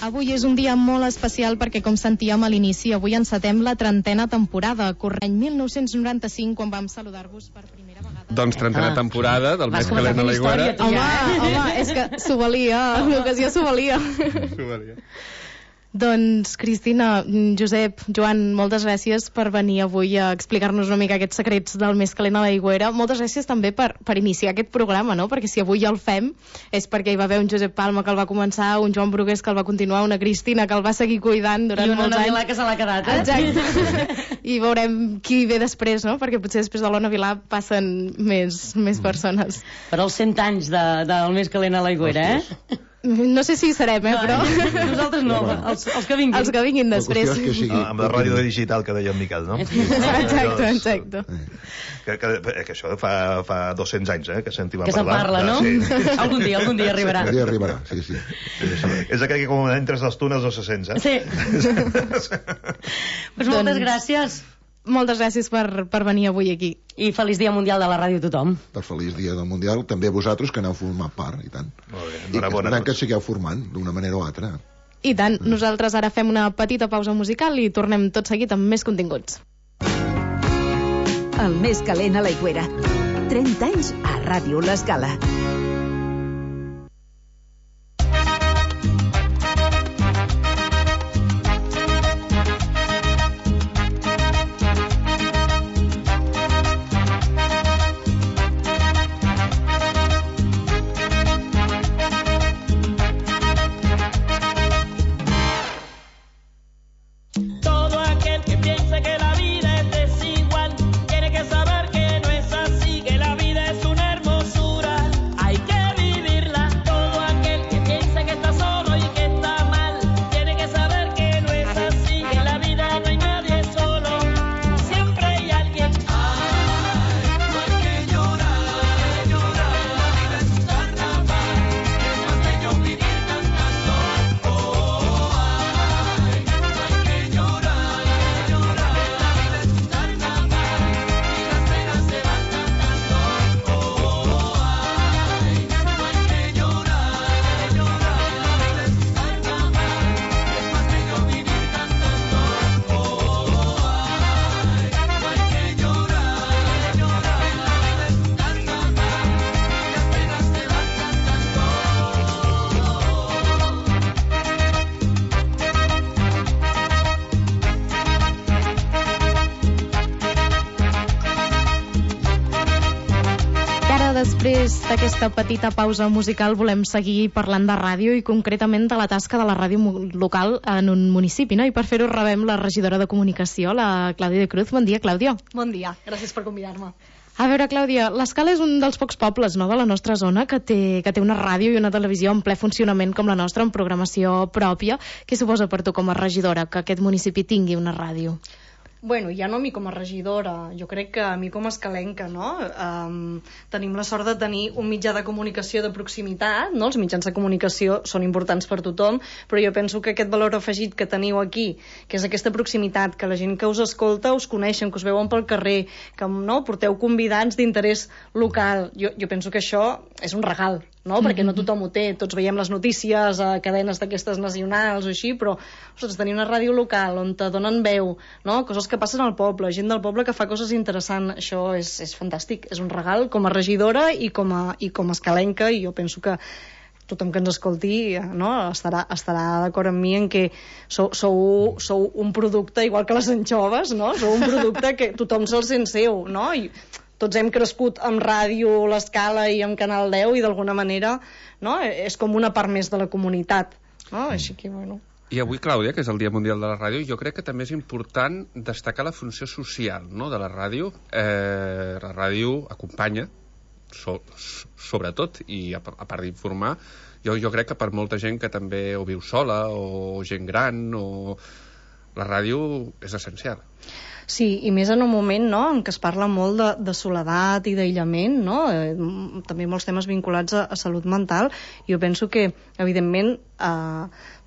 Avui és un dia molt especial perquè, com sentíem a l'inici, avui encetem la trentena temporada, corrent mil nou-cents noranta-cinc, quan vam saludar-vos per primera vegada. Doncs trentena ah. temporada del Més calent a l'Aigüera. Home, home, és que s'ho valia, l'ocasió s'ho valia. S'ho valia. Doncs, Cristina, Josep, Joan, moltes gràcies per venir avui a explicar-nos una mica aquests secrets del Més calent a l'Aigüera. Moltes gràcies també per, per iniciar aquest programa, no? Perquè si avui el fem és perquè hi va haver un Josep Palma que el va començar, un Joan Brugués que el va continuar, una Cristina que el va seguir cuidant durant molts anys. I una Vilà que se l'ha quedat, eh? Exacte. I veurem qui ve després, no? Perquè potser després de l'Ona Vilà passen més, més persones. Per als cent anys de, del Més calent a l'Aigüera, eh? No sé si hi serem, eh, però... Nosaltres no, els, els que vinguin. Els que vinguin després. Que sigui... Amb la ràdio digital que deia en Miquel, no? Exacte, exacte. Que, que, que això fa, fa dos-cents anys, eh, que sentim a parlar. Que se'n parla, no? Sí. Algun dia, algun dia arribarà. Algun dia arribarà, sí, sí. És aquell que com entres als túnels no se sents, eh? Sí. Pues moltes gràcies. moltes gràcies per, per venir avui aquí. I feliç Dia Mundial de la Ràdio a tothom. Per feliç Dia del Mundial, també a vosaltres, que n'heu format part, i tant. Molt bé, I que, enhorabona. tant que sigueu formant, d'una manera o altra. I tant, nosaltres ara fem una petita pausa musical i tornem tot seguit amb més continguts. El més calent a l'aigüera. trenta anys a Ràdio L'Escala. Després d'aquesta petita pausa musical volem seguir parlant de ràdio i concretament de la tasca de la ràdio local en un municipi, no? I per fer-ho rebem la regidora de comunicació, la Clàudia de Cruz. Bon dia, Clàudia. Bon dia, gràcies per convidar-me. A veure, Clàudia, l'Escala és un dels pocs pobles, no?, de la nostra zona que té, que té una ràdio i una televisió en ple funcionament com la nostra, amb programació pròpia. Què suposa per tu com a regidora que aquest municipi tingui una ràdio? Bueno, ja no a mi com a regidora, jo crec que a mi com a escalenca, no? Um, tenim la sort de tenir un mitjà de comunicació de proximitat, no? Els mitjans de comunicació són importants per tothom, però jo penso que aquest valor afegit que teniu aquí, que és aquesta proximitat, que la gent que us escolta us coneixen, que us veuen pel carrer, que no, porteu convidats d'interès local, jo, jo penso que això és un regal, no? Mm-hmm. Perquè no tothom ho té, tots veiem les notícies a cadenes d'aquestes nacionals o així, però ostres, tenir una ràdio local on te donen veu, no? Coses que passen al poble, gent del poble que fa coses interessants, això és, és fantàstic, és un regal com a regidora i com a, i com a escalenca, i jo penso que tothom que ens escolti, no, estarà, estarà d'acord amb mi en que sou, sou, sou un producte igual que les anxoves, no? Sou un producte que tothom se'l sent seu, no? I tots hem crescut amb ràdio L'Escala i amb Canal deu i d'alguna manera, no, és com una part més de la comunitat, no? Així que, bueno... I avui, Clàudia, que és el Dia Mundial de la Ràdio, jo crec que també és important destacar la funció social, no?, de la ràdio. Eh, la ràdio acompanya, so, sobretot, i a, a part d'informar, jo, jo crec que per molta gent que també o viu sola, o gent gran, o... la ràdio és essencial. Sí, i més en un moment, no?, en què es parla molt de, de soledat i d'aïllament, no?, eh, també molts temes vinculats a, a salut mental. Jo penso que, evidentment, eh,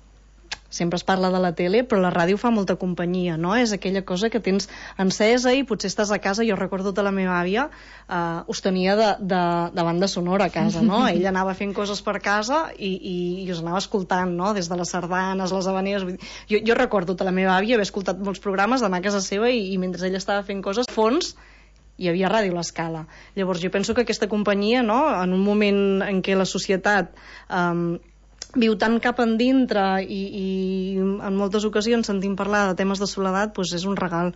sempre es parla de la tele, però la ràdio fa molta companyia, no? És aquella cosa que tens encesa i potser estàs a casa. Jo recordo que la meva àvia eh, us tenia de, de, de banda sonora a casa, no? Ella anava fent coses per casa i, i, i us anava escoltant, no?, des de les sardanes, les havaneres... Jo, jo recordo que la meva àvia havia escoltat molts programes d'anar a casa seva i, i mentre ella estava fent coses, fons hi havia Ràdio L'Escala. Llavors jo penso que aquesta companyia, no?, en un moment en què la societat... Eh, viu tant cap endintre i, i en moltes ocasions sentim parlar de temes de soledat, doncs és un regal.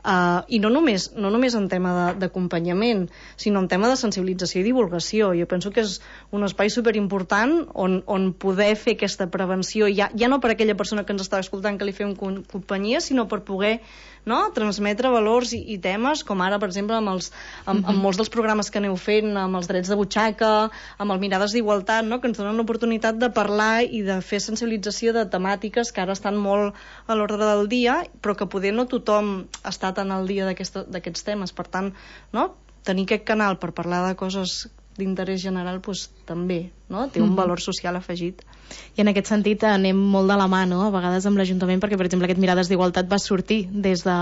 Uh, I no només, no només en tema d'acompanyament, sinó en tema de sensibilització i divulgació. Jo penso que és un espai superimportant on, on poder fer aquesta prevenció, ja, ja no per aquella persona que ens està escoltant que li fem companyia, sinó per poder, no?, transmetre valors i, i temes, com ara, per exemple, amb, els, amb, amb molts dels programes que aneu fent, amb els drets de butxaca, amb el Mirades d'Igualtat, no?, que ens donen l'oportunitat de parlar i de fer sensibilització de temàtiques que ara estan molt a l'ordre del dia, però que poder no tothom està tan al dia d'aquests temes. Per tant, no?, tenir aquest canal per parlar de coses d'interès general doncs, també, no? Té un valor social afegit. I en aquest sentit anem molt de la mà, no? A vegades amb l'Ajuntament, perquè per exemple aquest Mirades d'Igualtat va sortir des de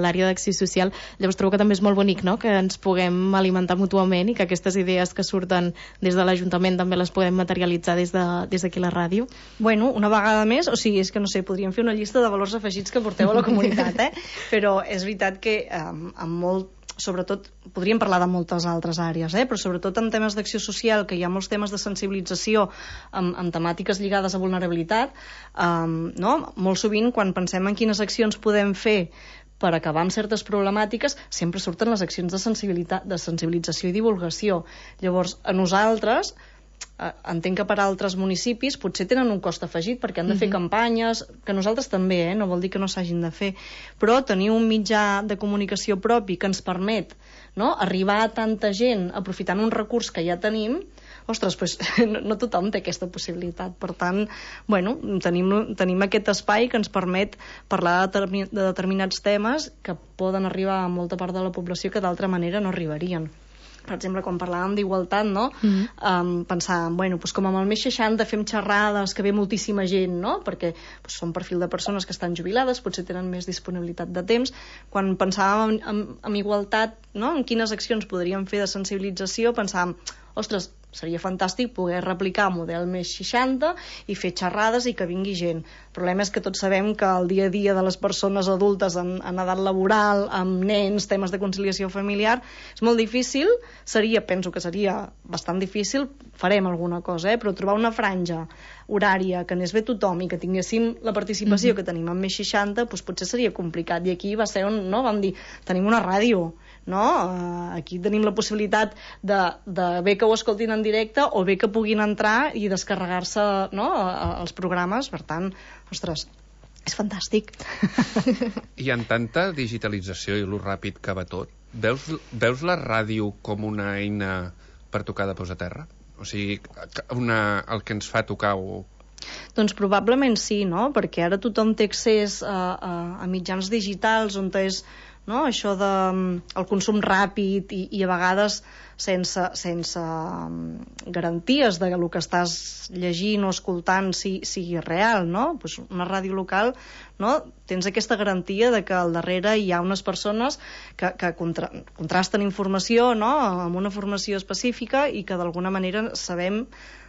l'àrea d'acció social. Llavors trobo que també és molt bonic, no? Que ens puguem alimentar mútuament i que aquestes idees que surten des de l'Ajuntament també les podem materialitzar des de, des d'aquí la ràdio. Bueno, una vegada més, o sigui, és que no sé, podríem fer una llista de valors afegits que porteu a la comunitat, eh? Però és veritat que eh, amb molt sobretot, podríem parlar de moltes altres àrees, eh? Però sobretot en temes d'acció social, que hi ha molts temes de sensibilització amb, amb temàtiques lligades a vulnerabilitat, um, no? Molt sovint, quan pensem en quines accions podem fer per acabar amb certes problemàtiques, sempre surten les accions de sensibilitat, de sensibilització i divulgació. Llavors, a nosaltres, entenc que per altres municipis potser tenen un cost afegit perquè han de fer uh-huh. campanyes, que nosaltres també, eh? No vol dir que no s'hagin de fer, però tenir un mitjà de comunicació propi que ens permet, no?, arribar a tanta gent aprofitant un recurs que ja tenim, ostres, pues, no, no tothom té aquesta possibilitat. Per tant, bueno, tenim, tenim aquest espai que ens permet parlar de, termi, de determinats temes que poden arribar a molta part de la població que d'altra manera no arribarien. Per exemple, quan parlàvem d'igualtat, no? Mm-hmm. um, pensàvem, bueno, doncs com amb el més seixanta fem xerrades que ve moltíssima gent, no? Perquè doncs, són perfil de persones que estan jubilades, potser tenen més disponibilitat de temps. Quan pensàvem en, en, en igualtat, no?, en quines accions podríem fer de sensibilització, pensàvem, ostres, seria fantàstic poder replicar el model més seixanta i fer xerrades i que vingui gent. El problema és que tots sabem que el dia a dia de les persones adultes en, en edat laboral, amb nens, temes de conciliació familiar, és molt difícil, seria, penso que seria bastant difícil, farem alguna cosa, eh? Però trobar una franja horària que anés bé tothom i que tinguéssim la participació mm-hmm. que tenim en més seixanta, doncs potser seria complicat. I aquí va ser on, no?, vam dir, tenim una ràdio, no? Uh, aquí tenim la possibilitat de, de bé que ho escoltin en directe o bé que puguin entrar i descarregar-se, no?, els programes. Per tant, ostres, és fantàstic. I en tanta digitalització i lo ràpid que va tot, veus, veus la ràdio com una eina per tocar de peus a terra? O sigui, una, el que ens fa tocar o... Doncs probablement sí, no? Perquè ara tothom té accés a, a, a mitjans digitals on és, no?, això de el consum ràpid i, i a vegades sense, sense garanties de que el que estàs llegint o escoltant si, sigui real, no? Pues una ràdio local, no?, tens aquesta garantia de que al darrere hi ha unes persones que, que contra, contrasten informació, no?, amb una formació específica i que d'alguna manera sabem.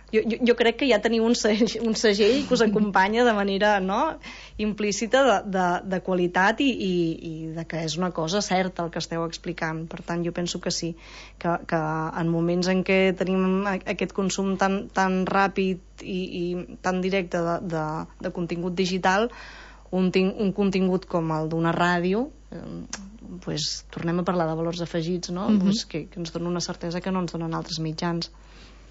Jo, jo, jo crec que ja teniu un segell, un segell que us acompanya de manera, no?, implícita de, de, de qualitat i, i, i de que és una cosa certa el que esteu explicant. Per tant, jo penso que sí, que, que en moments en què tenim aquest consum tan, tan ràpid i, i tan directe de, de, de contingut digital, un, un contingut com el d'una ràdio, eh, pues, tornem a parlar de valors afegits, no? Mm-hmm. Pues que, que ens dona una certesa que no ens donen altres mitjans.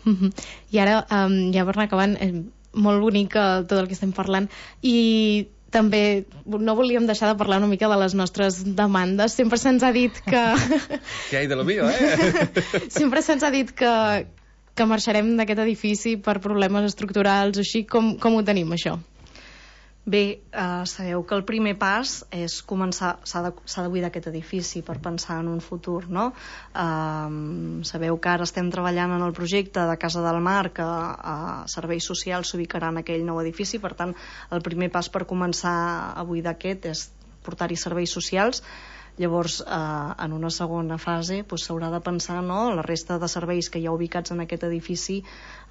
Uh-huh. I ara, um, ja per anar acabant, eh, molt bonic uh, tot el que estem parlant, i també no volíem deixar de parlar una mica de les nostres demandes. Sempre se'ns ha dit que... Què hi de lo mío, eh? Sempre se'ns ha dit que, que marxarem d'aquest edifici per problemes estructurals o així. Com, com ho tenim, això? Bé, eh, sabeu que el primer pas és començar, s'ha de, s'ha de buidar aquest edifici per pensar en un futur, no? Eh, sabeu que ara estem treballant en el projecte de Casa del Mar, que eh, serveis socials s'ubicarà en aquell nou edifici. Per tant, el primer pas per començar a buidar aquest és portar-hi serveis socials. Llavors, eh, en una segona fase doncs, s'haurà de pensar, no?, la resta de serveis que hi ha ubicats en aquest edifici,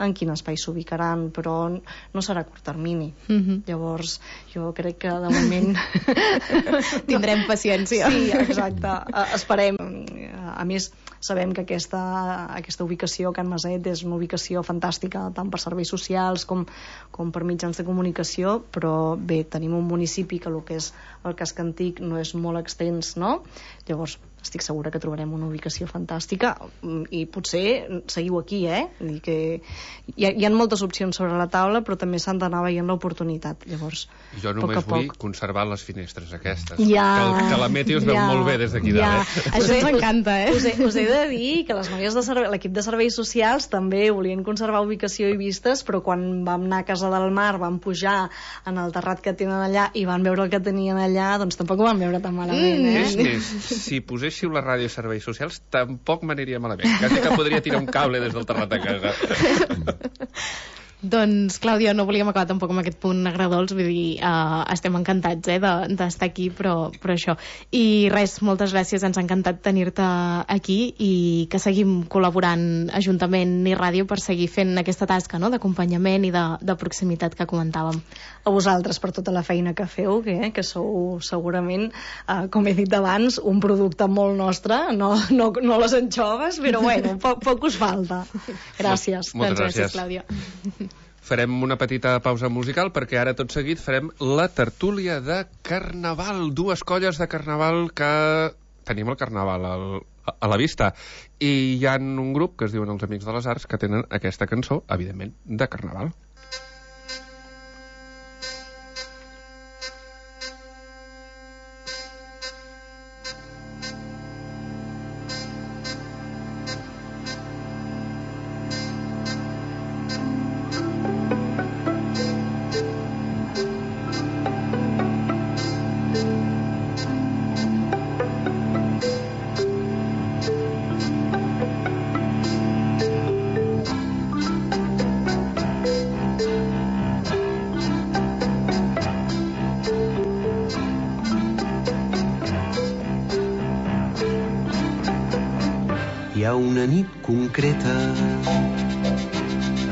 en quin espai s'ubicaran, però no serà a curt termini. Mm-hmm. Llavors, jo crec que de moment... Tindrem paciència. Sí, exacte. Uh, esperem. A més, sabem que aquesta, aquesta ubicació a Can Maset és una ubicació fantàstica, tant per serveis socials com, com per mitjans de comunicació, però bé, tenim un municipi que el que és el casc antic no és molt extens, no? Llavors, estic segura que trobarem una ubicació fantàstica i potser seguiu aquí, eh? Vull dir que hi ha, hi ha moltes opcions sobre la taula, però també s'han d'anar veient l'oportunitat. Llavors, jo només vull conservar les finestres aquestes. Ja, que, el, que la Meti us veu ja, molt bé des d'aquí ja. dalt. Eh? Això ens encanta, eh? Us he, us he de dir que les noies de servei, l'equip de serveis socials també volien conservar ubicació i vistes, però quan vam anar a Casa del Mar, vam pujar en el terrat que tenen allà i van veure el que tenien allà, doncs tampoc ho van veure tan malament, eh? És més, si posés poséssiu la ràdio i serveis socials tampoc m'aniria malament. Quasi que podria tirar un cable des del terrat de casa. Doncs, Clàudia, no volíem acabar tampoc amb aquest punt agradols, vull dir, uh, estem encantats eh, d'estar de, aquí, però, però això. I res, moltes gràcies, ens ha encantat tenir-te aquí i que seguim col·laborant Ajuntament i Ràdio per seguir fent aquesta tasca, no?, d'acompanyament i de, de proximitat que comentàvem. A vosaltres per tota la feina que feu, que, eh, que sou segurament, uh, com he dit abans, un producte molt nostre, no, no, no les anxoves, però bueno, poc, poc us falta. Gràcies. Moltes doncs gràcies, gràcies, Clàudia. Farem una petita pausa musical perquè ara tot seguit farem la tertúlia de Carnaval. Dues colles de Carnaval que tenim el Carnaval al, a la vista. I hi ha un grup que es diuen els Amics de les Arts que tenen aquesta cançó, evidentment, de Carnaval. Hi ha una nit concreta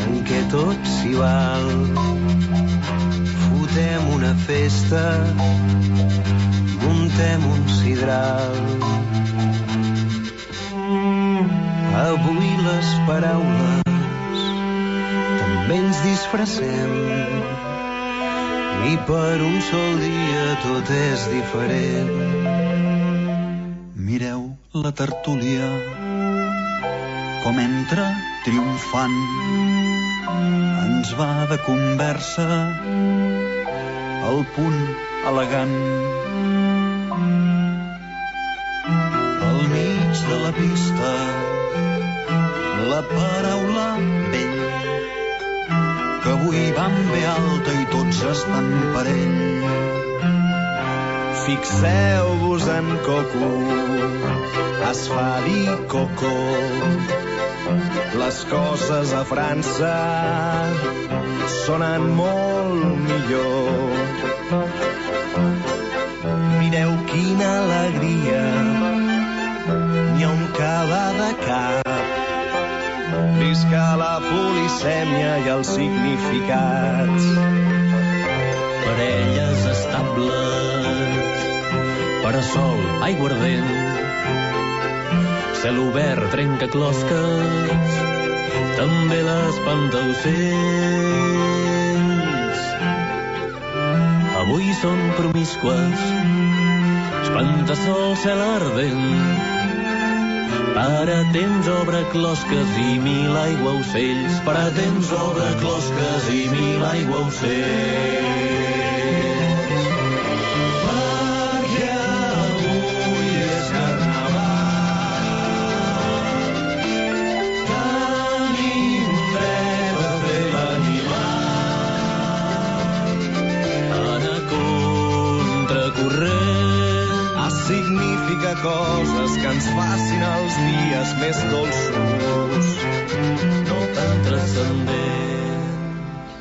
en què tot s'hi val. Fotem una festa, muntem un sidral. Avui les paraules també ens disfressem i per un sol dia tot és diferent. Mireu la tertúlia com entra triomfant, ens va de conversa al punt elegant. Al mig de la pista la paraula vell, que avui van bé alta i tots estan per ell. Fixeu-vos en Coco, es fa dir Coco. Les coses a França sonen molt millor. Mireu quina alegria, n'hi ha un cada de cap. Visca la polisèmia i els significats. Parelles estables, parasol, aiguardent, cel obert, trenca closques, també l'espantaocells. Avui són promiscues, espantasol, cel ardent, para temps obre closques i mil aiguaocells, para temps obre closques i mil aiguaocells. Significa coses que ens facin els dies més dolços, no tan transcendents.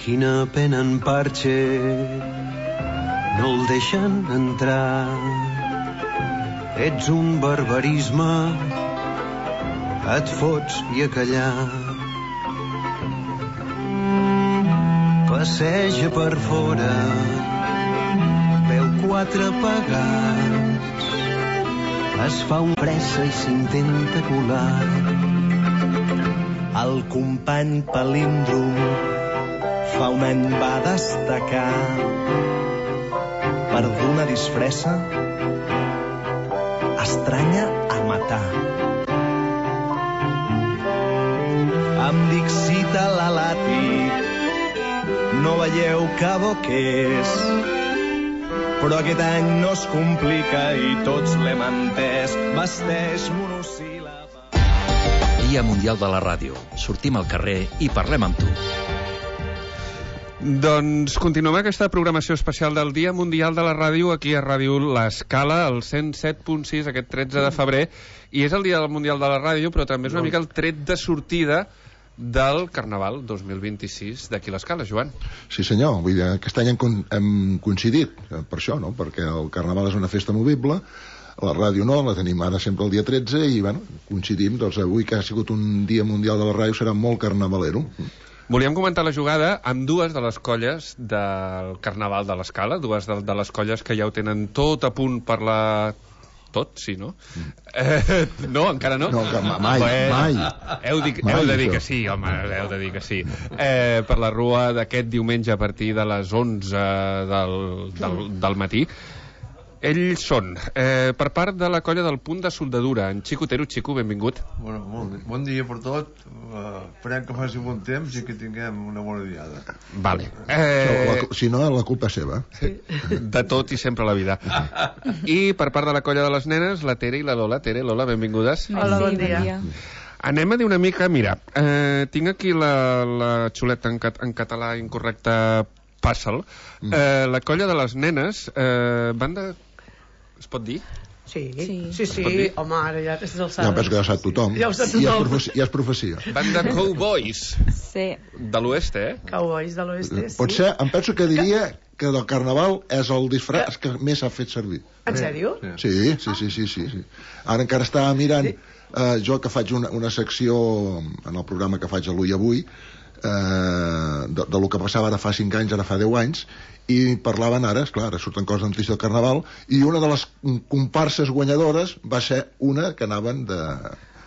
Quina pena en Parche, no el deixen entrar. Ets un barbarisme, et fots i a callar. Passeja per fora, veu quatre pagats, es fa un pressa i s'intenta colar. El company palíndrom fa un any va destacar per d'una disfressa estranya a matar. Em dic Cita l'Alàtic, no veieu que bo que és, però aquest any no es complica i tots l'hem entès. Vesteix monosíl·laba. Dia Mundial de la Ràdio. Sortim al carrer i parlem amb tu. Doncs continuem aquesta programació especial del Dia Mundial de la Ràdio aquí a Ràdio L'Escala, al cent set punt sis, aquest tretze de febrer, i és el Dia Mundial de la Ràdio, però també és una mica el tret de sortida del Carnaval dos mil vint-i-sis d'aquí a l'Escala, Joan. Sí senyor, vull dir, aquest any hem, hem coincidit per això, no? Perquè el Carnaval és una festa movible, la ràdio no, la tenim ara sempre el dia tretze i bueno, coincidim, doncs avui que ha sigut un Dia Mundial de la Ràdio serà molt carnavalero. Volíem comentar la jugada amb dues de les colles del Carnaval de l'Escala, dues de, de les colles que ja ho tenen tot a punt per la... Tot, sí, no? Mm. Eh, no, encara no? No, mai, bueno, mai. Heu, di, mai heu de dir això. que sí, home, heu de dir que sí. Eh, per la rua d'aquest diumenge a partir de les onze del, del, del matí. Ells són, eh, per part de la colla del Punt de Soldadura, en Xico Otero. Xico, benvingut. Bueno, bon, bon dia per tot. Uh, esperem que faci bon temps i que tinguem una bona diada. Vale. Eh... La, si no, la culpa és seva. Sí. De tot i sempre a la vida. I per part de la colla de les nenes, la Tere i la Lola. Tere, Lola, benvingudes. Hola, bon dia. Anem a dir una mica, mira, eh, tinc aquí la, la xuleta en, cat, en català incorrecte, Passa'l. Eh, la colla de les nenes eh, van de... Es pot dir? Sí, sí, sí, sí. Home, ara ja és el ja penso que ja ho sap tothom. Ja ho sap tothom. Ja és profecia. Ja és profecia. Van de cowboys. Sí. De l'oest, eh? Cowboys de l'oest, sí. Potser, em penso que diria que del Carnaval és el disfraç que més s'ha fet servir. En sèrio? Sí, sí, sí, sí, sí, sí. Ara encara estava mirant, eh, jo que faig una, una secció en el programa que faig a l'Ull Avui, eh, de, de lo que passava ara fa cinc anys, ara fa deu anys, i parlaven ara, esclar, ara surten coses de notícia del Carnaval, i una de les comparses guanyadores va ser una que anaven de,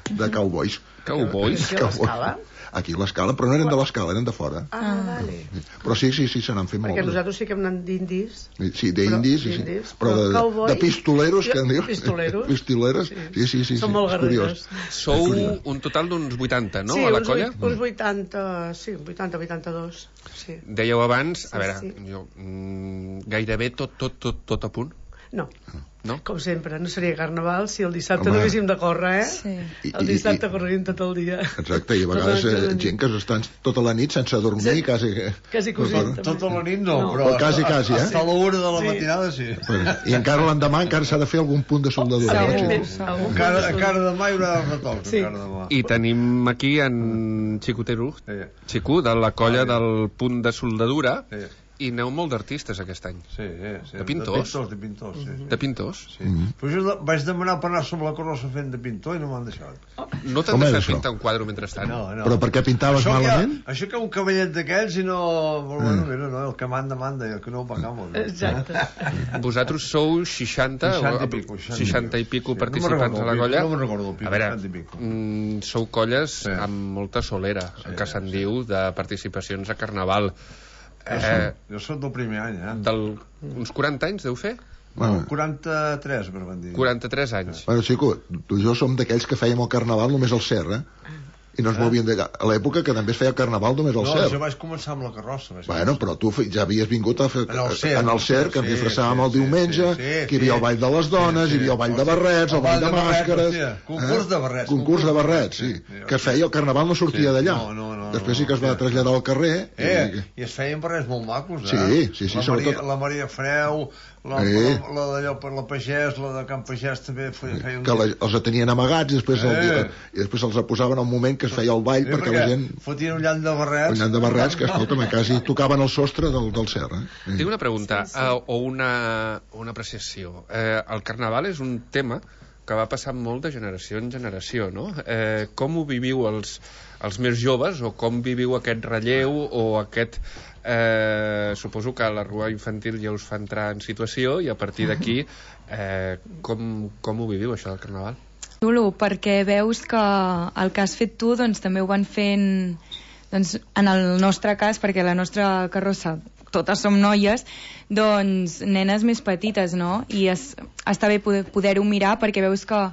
de cowboys. Cowboys? Aquí a l'Escala? Aquí a l'Escala, però no eren de l'Escala, eren de fora. Ah, vale. Però sí, sí, sí, se n'han fet molt. Perquè nosaltres sí que hem anat d'indis. Sí, d'indis, sí, sí. Però de, de, de pistoleros, que en diu. Pistoleros. Pistoleres, sí, sí, sí. Són molt guerreros. Sou un total d'uns vuitanta, no, sí, a la colla? Sí, uns vuitanta, sí, vuitanta, vuitanta-dos. Sí. Dèieu abans, a veure, sí. jo, mm, gairebé tot, tot, tot, tot a punt? No. No? Com sempre, no seria Carnaval si el dissabte Home. no haguéssim de córrer, eh? Sí. El dissabte corrent tot el dia. Exacte, i a vegades eh, gent que estan tota la nit sense dormir, sí. quasi... Quasi cosint. Tota la nit no, no. però... Quasi, quasi, eh? Hasta l'una de la sí. matinada, sí. Bueno, I encara l'endemà encara s'ha de fer algun punt de soldadura. Sí, encara, encara demà hi haurà retoc, sí. encara demà. I tenim aquí en Xico Otero, sí. Xico, de la colla ah, del Punt de Soldadura, sí. I aneu molt d'artistes aquest any. Sí, sí, sí. De pintors? De pintors, de pintors, sí. De pintors? Sí. Mm-hmm. Però jo vaig demanar per anar sobre la carrossa fent de pintor i no m'han deixat. Oh. No t'han deixat pintar un quadre mentrestant? No, no. Però per què pintaves això malament? Ha, això que un cavallet d'aquells i no... Bueno, mm. mira, no, el que manda, manda, i el que no ho pagamos. No? Exacte. Vosaltres sou seixanta, seixanta i pico, seixanta i pico sí. participants no a la colla? No me'n recordo el pico, a veure, mm, sou colles sí. amb molta solera, sí, que se'n sí. diu, de participacions a Carnaval. Jo soc, eh, jo soc del primer any, eh? Del, uns quaranta anys deu fer? Bueno, quaranta-tres, per van dir. quaranta-tres anys. Bueno, Xico, tu i jo som d'aquells que fèiem el Carnaval només al Cer, eh? I no ens movien de... A l'època que també es feia Carnaval només al no, Cer. No, jo vaig començar amb la carrossa. Bueno, però tu ja havies vingut a fer... En el Cer, en el Cer que ens disfressàvem el diumenge, sí, sí, sí, que hi havia el Ball de les Dones, hi havia el Ball de Barrets, el Ball de Màscares... Concurs de barrets. Concurs de barrets, sí. Que es feia, el Carnaval no sortia d'allà. No, no, no. Després sí que es va traslladar al carrer... Eh, i es feien barrets molt macos, eh? Sí, sí, sí, sobretot... La Maria Freu... La, eh. la, la d'allò per la Pagès, la de Can Pagès també feia un... Que la, els tenien amagats i després, eh. el, i després els posaven al moment que es feia el ball eh, perquè, perquè la gent... Fotien un llant de barrets. Un llant de barrets que, escolta'm, quasi tocaven el sostre del, del Cer. Eh? Tinc una pregunta sí, sí. Uh, o una, una apreciació. Eh, el Carnaval és un tema que va passar molt de generació en generació, no? Eh, com ho viviu els, els més joves o com viviu aquest relleu o aquest... Eh, suposo que la rua infantil ja us fa entrar en situació i a partir d'aquí eh, com, com ho viviu això del Carnaval? Xulo, perquè veus que el que has fet tu doncs, també ho van fent doncs, en el nostre cas, perquè la nostra carrossa totes som noies, doncs nenes més petites, no? I es, està bé poder, poder-ho mirar perquè veus que,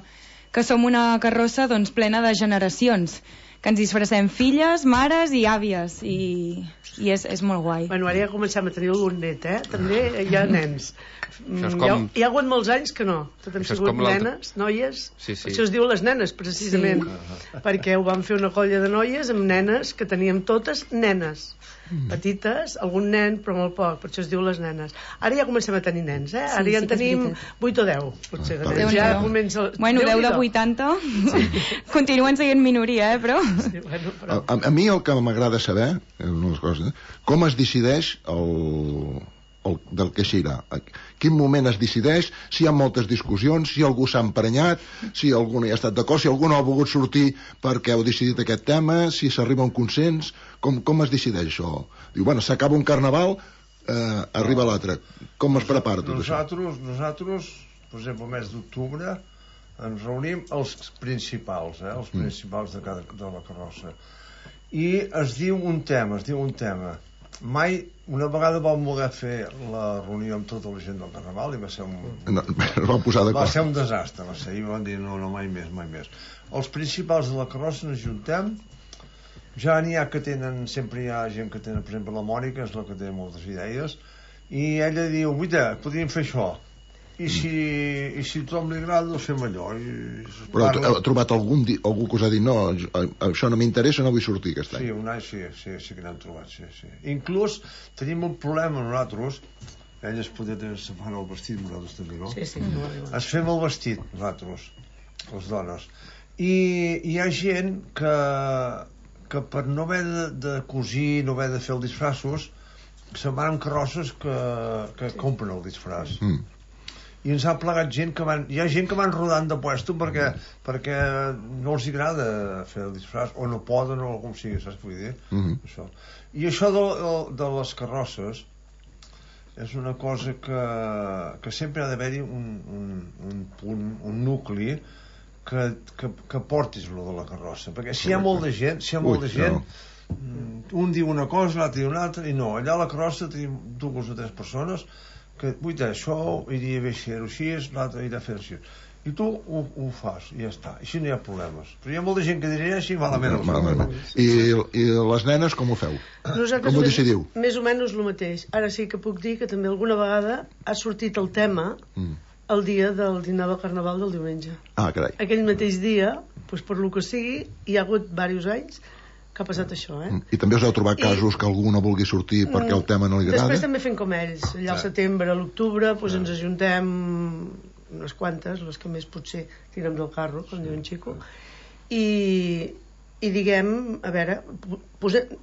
que som una carrossa doncs, plena de generacions que ens disfressem filles, mares i àvies, i, i és, és molt guai. Bueno, ara ja comencem a tenir algun net, eh? També hi ha nens. Mm, com... hi, ha, hi ha hagut molts anys que no. Tot han sigut nenes, noies. Sí, sí. Això es diu les nenes, precisament. Sí. Perquè ho vam fer una colla de noies amb nenes que teníem totes nenes. Mm. Petites, algun nen, però molt poc. Per això es diu les nenes. Ara ja comencem a tenir nens, eh? Ara Sí, ja sí en que és tenim veritat. vuit o deu, potser. Ah, De nens. Ja comença... Bueno, deu de vuitanta. Sí. Continuen sent minoria, eh, però... Sí, bueno, però... A, a mi el que m'agrada saber, és una de les coses, com es decideix el, el, del que s'irà. Quin moment es decideix, si hi ha moltes discussions, si algú s'ha emprenyat, si algú no hi ha estat d'acord, si algú no ha volgut sortir perquè heu decidit aquest tema, si s'arriba a un consens, com, com es decideix això? Diu, bueno, s'acaba un carnaval, eh, arriba l'altre. Com es prepara tot nosaltres, això? Nosaltres, per exemple, el mes d'octubre, ens reunim els principals, eh, els principals de, cada, de la carrossa. I es diu un tema, es diu un tema. Mai, una vegada vam voler fer la reunió amb tota la gent del Carnaval i va ser un... No, va posar d'acord. Va ser un desastre, va ser. I van dir, no, no, mai més, mai més. Els principals de la carrossa ens juntem, ja n'hi ha que tenen, sempre hi ha gent que tenen, per exemple, la Mònica, és la que té moltes idees, i ella diu, guaita, podríem fer això. I si, i si a tothom li agrada, ho fem allò. I Però heu trobat algun di, algú que us ha dit no, això no m'interessa, no vull sortir aquest any? Sí, un any sí, sí, sí que n'hem trobat, sí, sí. Inclús tenim un problema nosaltres, elles poden separar el vestit, nosaltres també, no? Sí, sí. No, no. Es fem el vestit, nosaltres, les dones. I hi ha gent que, que per no haver de, de cosir, no haver de fer els disfraços, se'n van amb carrosses que, que sí. compren el disfraç. Mm. I ens ha plegat gent que van... Hi ha gent que van rodant de puesto perquè, perquè no els agrada fer el disfraç, o no poden, o com sigui, saps què vull dir? Mm -hmm. Això. I això de, de, de les carrosses és una cosa que, que sempre ha d'haver-hi un, un, un punt, un nucli que, que, que portis lo de la carrossa, perquè si hi ha molt de gent, si hi ha molt de gent, no. un diu una cosa, l'altre diu una altra, i no, allà a la carrossa tenim dues o tres persones que, vuita, això iria bé fer-ho així, l'altre iria a fer així, i tu ho, ho fas, i ja està, així no hi ha problemes. Però hi ha molta gent que diria així, malament. No, malament. I, I les nenes com ho feu? Nosaltres com ho decidiu? Més, més o menys el mateix. Ara sí que puc dir que també alguna vegada ha sortit el tema mm. el dia del dinar del Carnaval del diumenge. Ah, carai. Aquell mateix dia, doncs per lo que sigui, hi ha hagut diversos anys que ha passat això, eh? I també us heu trobat casos I... que algú no vulgui sortir perquè el tema no li agrada? Després també fem com ells. Allà al setembre, a l'octubre, doncs ens ajuntem unes quantes, les que més potser tirem del carro, com diu en Xico, i, i diguem, a veure, posem,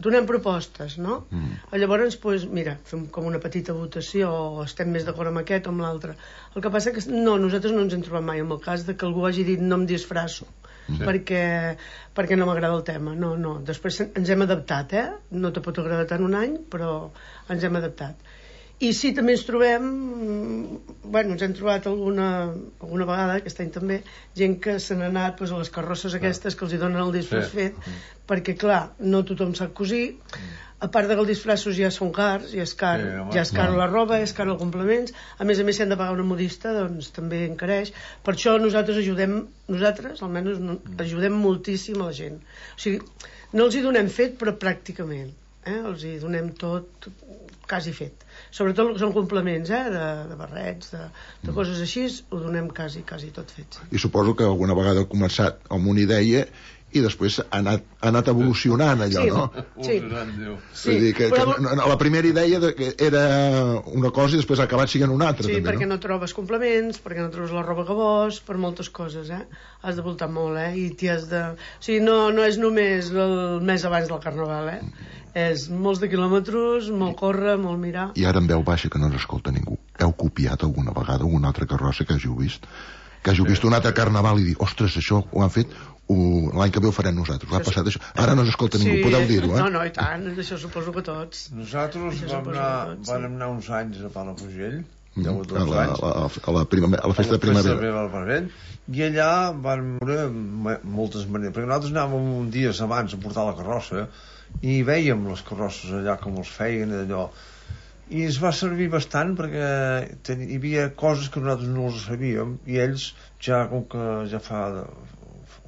donem propostes, no? Mm. Llavors, doncs, mira, fem com una petita votació, o estem més d'acord amb aquest o amb l'altre. El que passa que no, nosaltres no ens hem trobat mai amb el cas de que algú hagi dit no em disfrasso, sí. perquè, perquè no m'agrada el tema. No, no, després ens hem adaptat, eh? No te pot agradar tant un any, però ens hem adaptat. I sí, també ens trobem, bueno, ens hem trobat alguna, alguna vegada, aquest any també, gent que se n'ha anat doncs, a les carrosses aquestes que els hi donen el disfraç sí. fet, mm. perquè, clar, no tothom sap cosir, mm. a part de que els disfraços ja són cars, ja és car, sí, ja és car la roba, és car els complements, a més a més si han de pagar una modista, doncs també encareix. Per això nosaltres ajudem, nosaltres almenys ajudem moltíssim a la gent. O sigui, no els hi donem fet, però pràcticament, eh? Els hi donem tot quasi fet. Sobretot el que són complements, eh? de, de barrets, de, de coses així, ho donem quasi, quasi tot fet. I suposo que alguna vegada ha començat amb una idea i després ha anat, ha anat evolucionant allò, sí, no? Sí, sí. Vull dir que, però... que la primera idea era una cosa i després ha acabat sent una altra. Sí, també, perquè no? no trobes complements, perquè no trobes la roba que vols, per moltes coses, eh? Has de voltar molt, eh? I t'hi has de... O sigui, no, no és només el mes abans del Carnaval, eh? És molts de quilòmetres, molt córrer, molt mirar. I ara en veu baixa que no ens escolta ningú. Heu copiat alguna vegada una altra carrossa que hàgiu vist? Que hàgiu vist un altre Carnaval i dir, ostres, això ho han fet... l'any que ve ho farem nosaltres, ho ha passat això ara no s'escolta ningú, sí, podeu dir-ho, eh? No, no, i tant, això suposo que tots. Nosaltres vam anar, tots, vam anar uns anys a Palafrugell, mm, a, la, a, la, a, la prima, a la festa de primavera, i allà van veure moltes maneres, perquè nosaltres anàvem un dies abans a portar la carrossa i veiem les carrosses allà com els feien allò, i ens va servir bastant perquè ten, hi havia coses que nosaltres no les sabíem i ells ja com que ja fa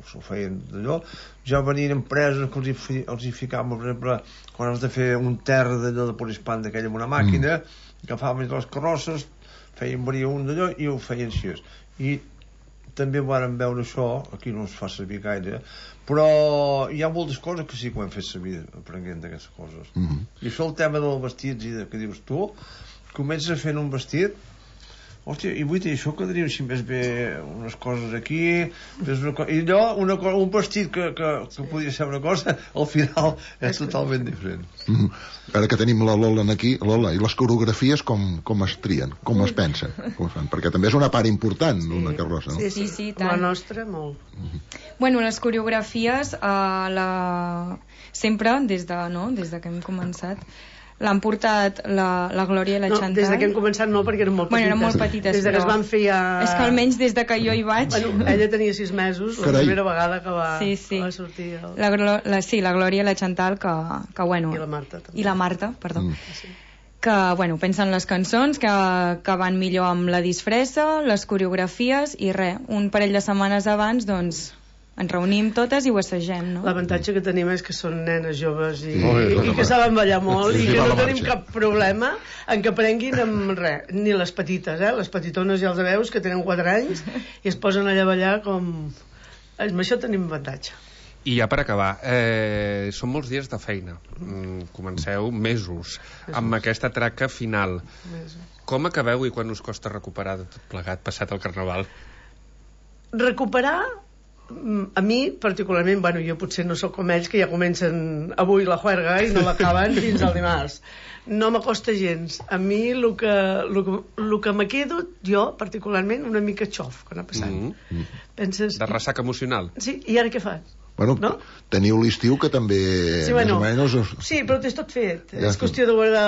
s'ho feien d'allò. Ja venien empreses que els hi, fi, els hi ficaven, per exemple, quan has de fer un terra d'allò de Polispan d'aquella amb una màquina, mm. agafaven les carrosses, feien venir un d'allò i ho feien així. I també vàrem veure això, aquí no es fa servir gaire, però hi ha moltes coses que sí que ho hem fet servir aprenent d'aquestes coses. Mm-hmm. I això el tema dels vestits i de, que dius tu, comences fent un vestit, hòstia, i vull dir, això quedaria així més bé unes coses aquí, una co i allò, una co un vestit que, que, que sí. podria ser una cosa, al final és totalment diferent. Mm-hmm. Ara que tenim la Lola aquí, Lola, i les coreografies com, com es trien, com es pensen, com es fan? Perquè també és una part important d'una sí. carrossa, no? Sí, sí, sí, tant. La nostra, molt. Mm-hmm. Bueno, les coreografies, uh, la... sempre, des de, no? des de que hem començat, l'han portat la, la Glòria i la no, Chantal. Des de que hem començat no, perquè eren molt petites. Bueno, eren molt petites, des de que es van fer ja... És que almenys des de que jo hi vaig... Bueno, ella tenia sis mesos, la Carai. primera vegada que va, sí, sí. va sortir... El... La, la, sí, la Glòria i la Chantal, que, que bueno... I la Marta, també. I la Marta, perdó. Mm. Sí. Que, bueno, pensen les cançons, que, que van millor amb la disfressa, les coreografies, i res, un parell de setmanes abans, doncs... ens reunim totes i ho assagem, no? L'avantatge que tenim és que són nenes joves i, sí, i, i que saben ballar molt, sí, sí, i que no marxa. tenim cap problema en que aprenguin amb res, ni les petites, eh? Les petitones ja els veus que tenen quatre anys i es posen allà a ballar com... Amb això tenim avantatge. I ja per acabar, eh, són molts dies de feina. Mm, comenceu mesos, mesos amb aquesta traca final. Mesos. Com acabeu i quan us costa recuperar de tot plegat passat el Carnaval? Recuperar... A mi, particularment, bueno, jo potser no sóc com ells, que ja comencen avui la juerga i no l'acaben fins al dimarts. No m'acosta gens. A mi, el que, el que, el que me quedo, jo, particularment, una mica xof, quan ha passat. Mm -hmm. Penses... De ressaca emocional. Sí, i ara què fas? Bueno, no? Teniu l'estiu que també... Sí, bueno, més o menys... sí, però t'és tot fet. Ja és qüestió de guardar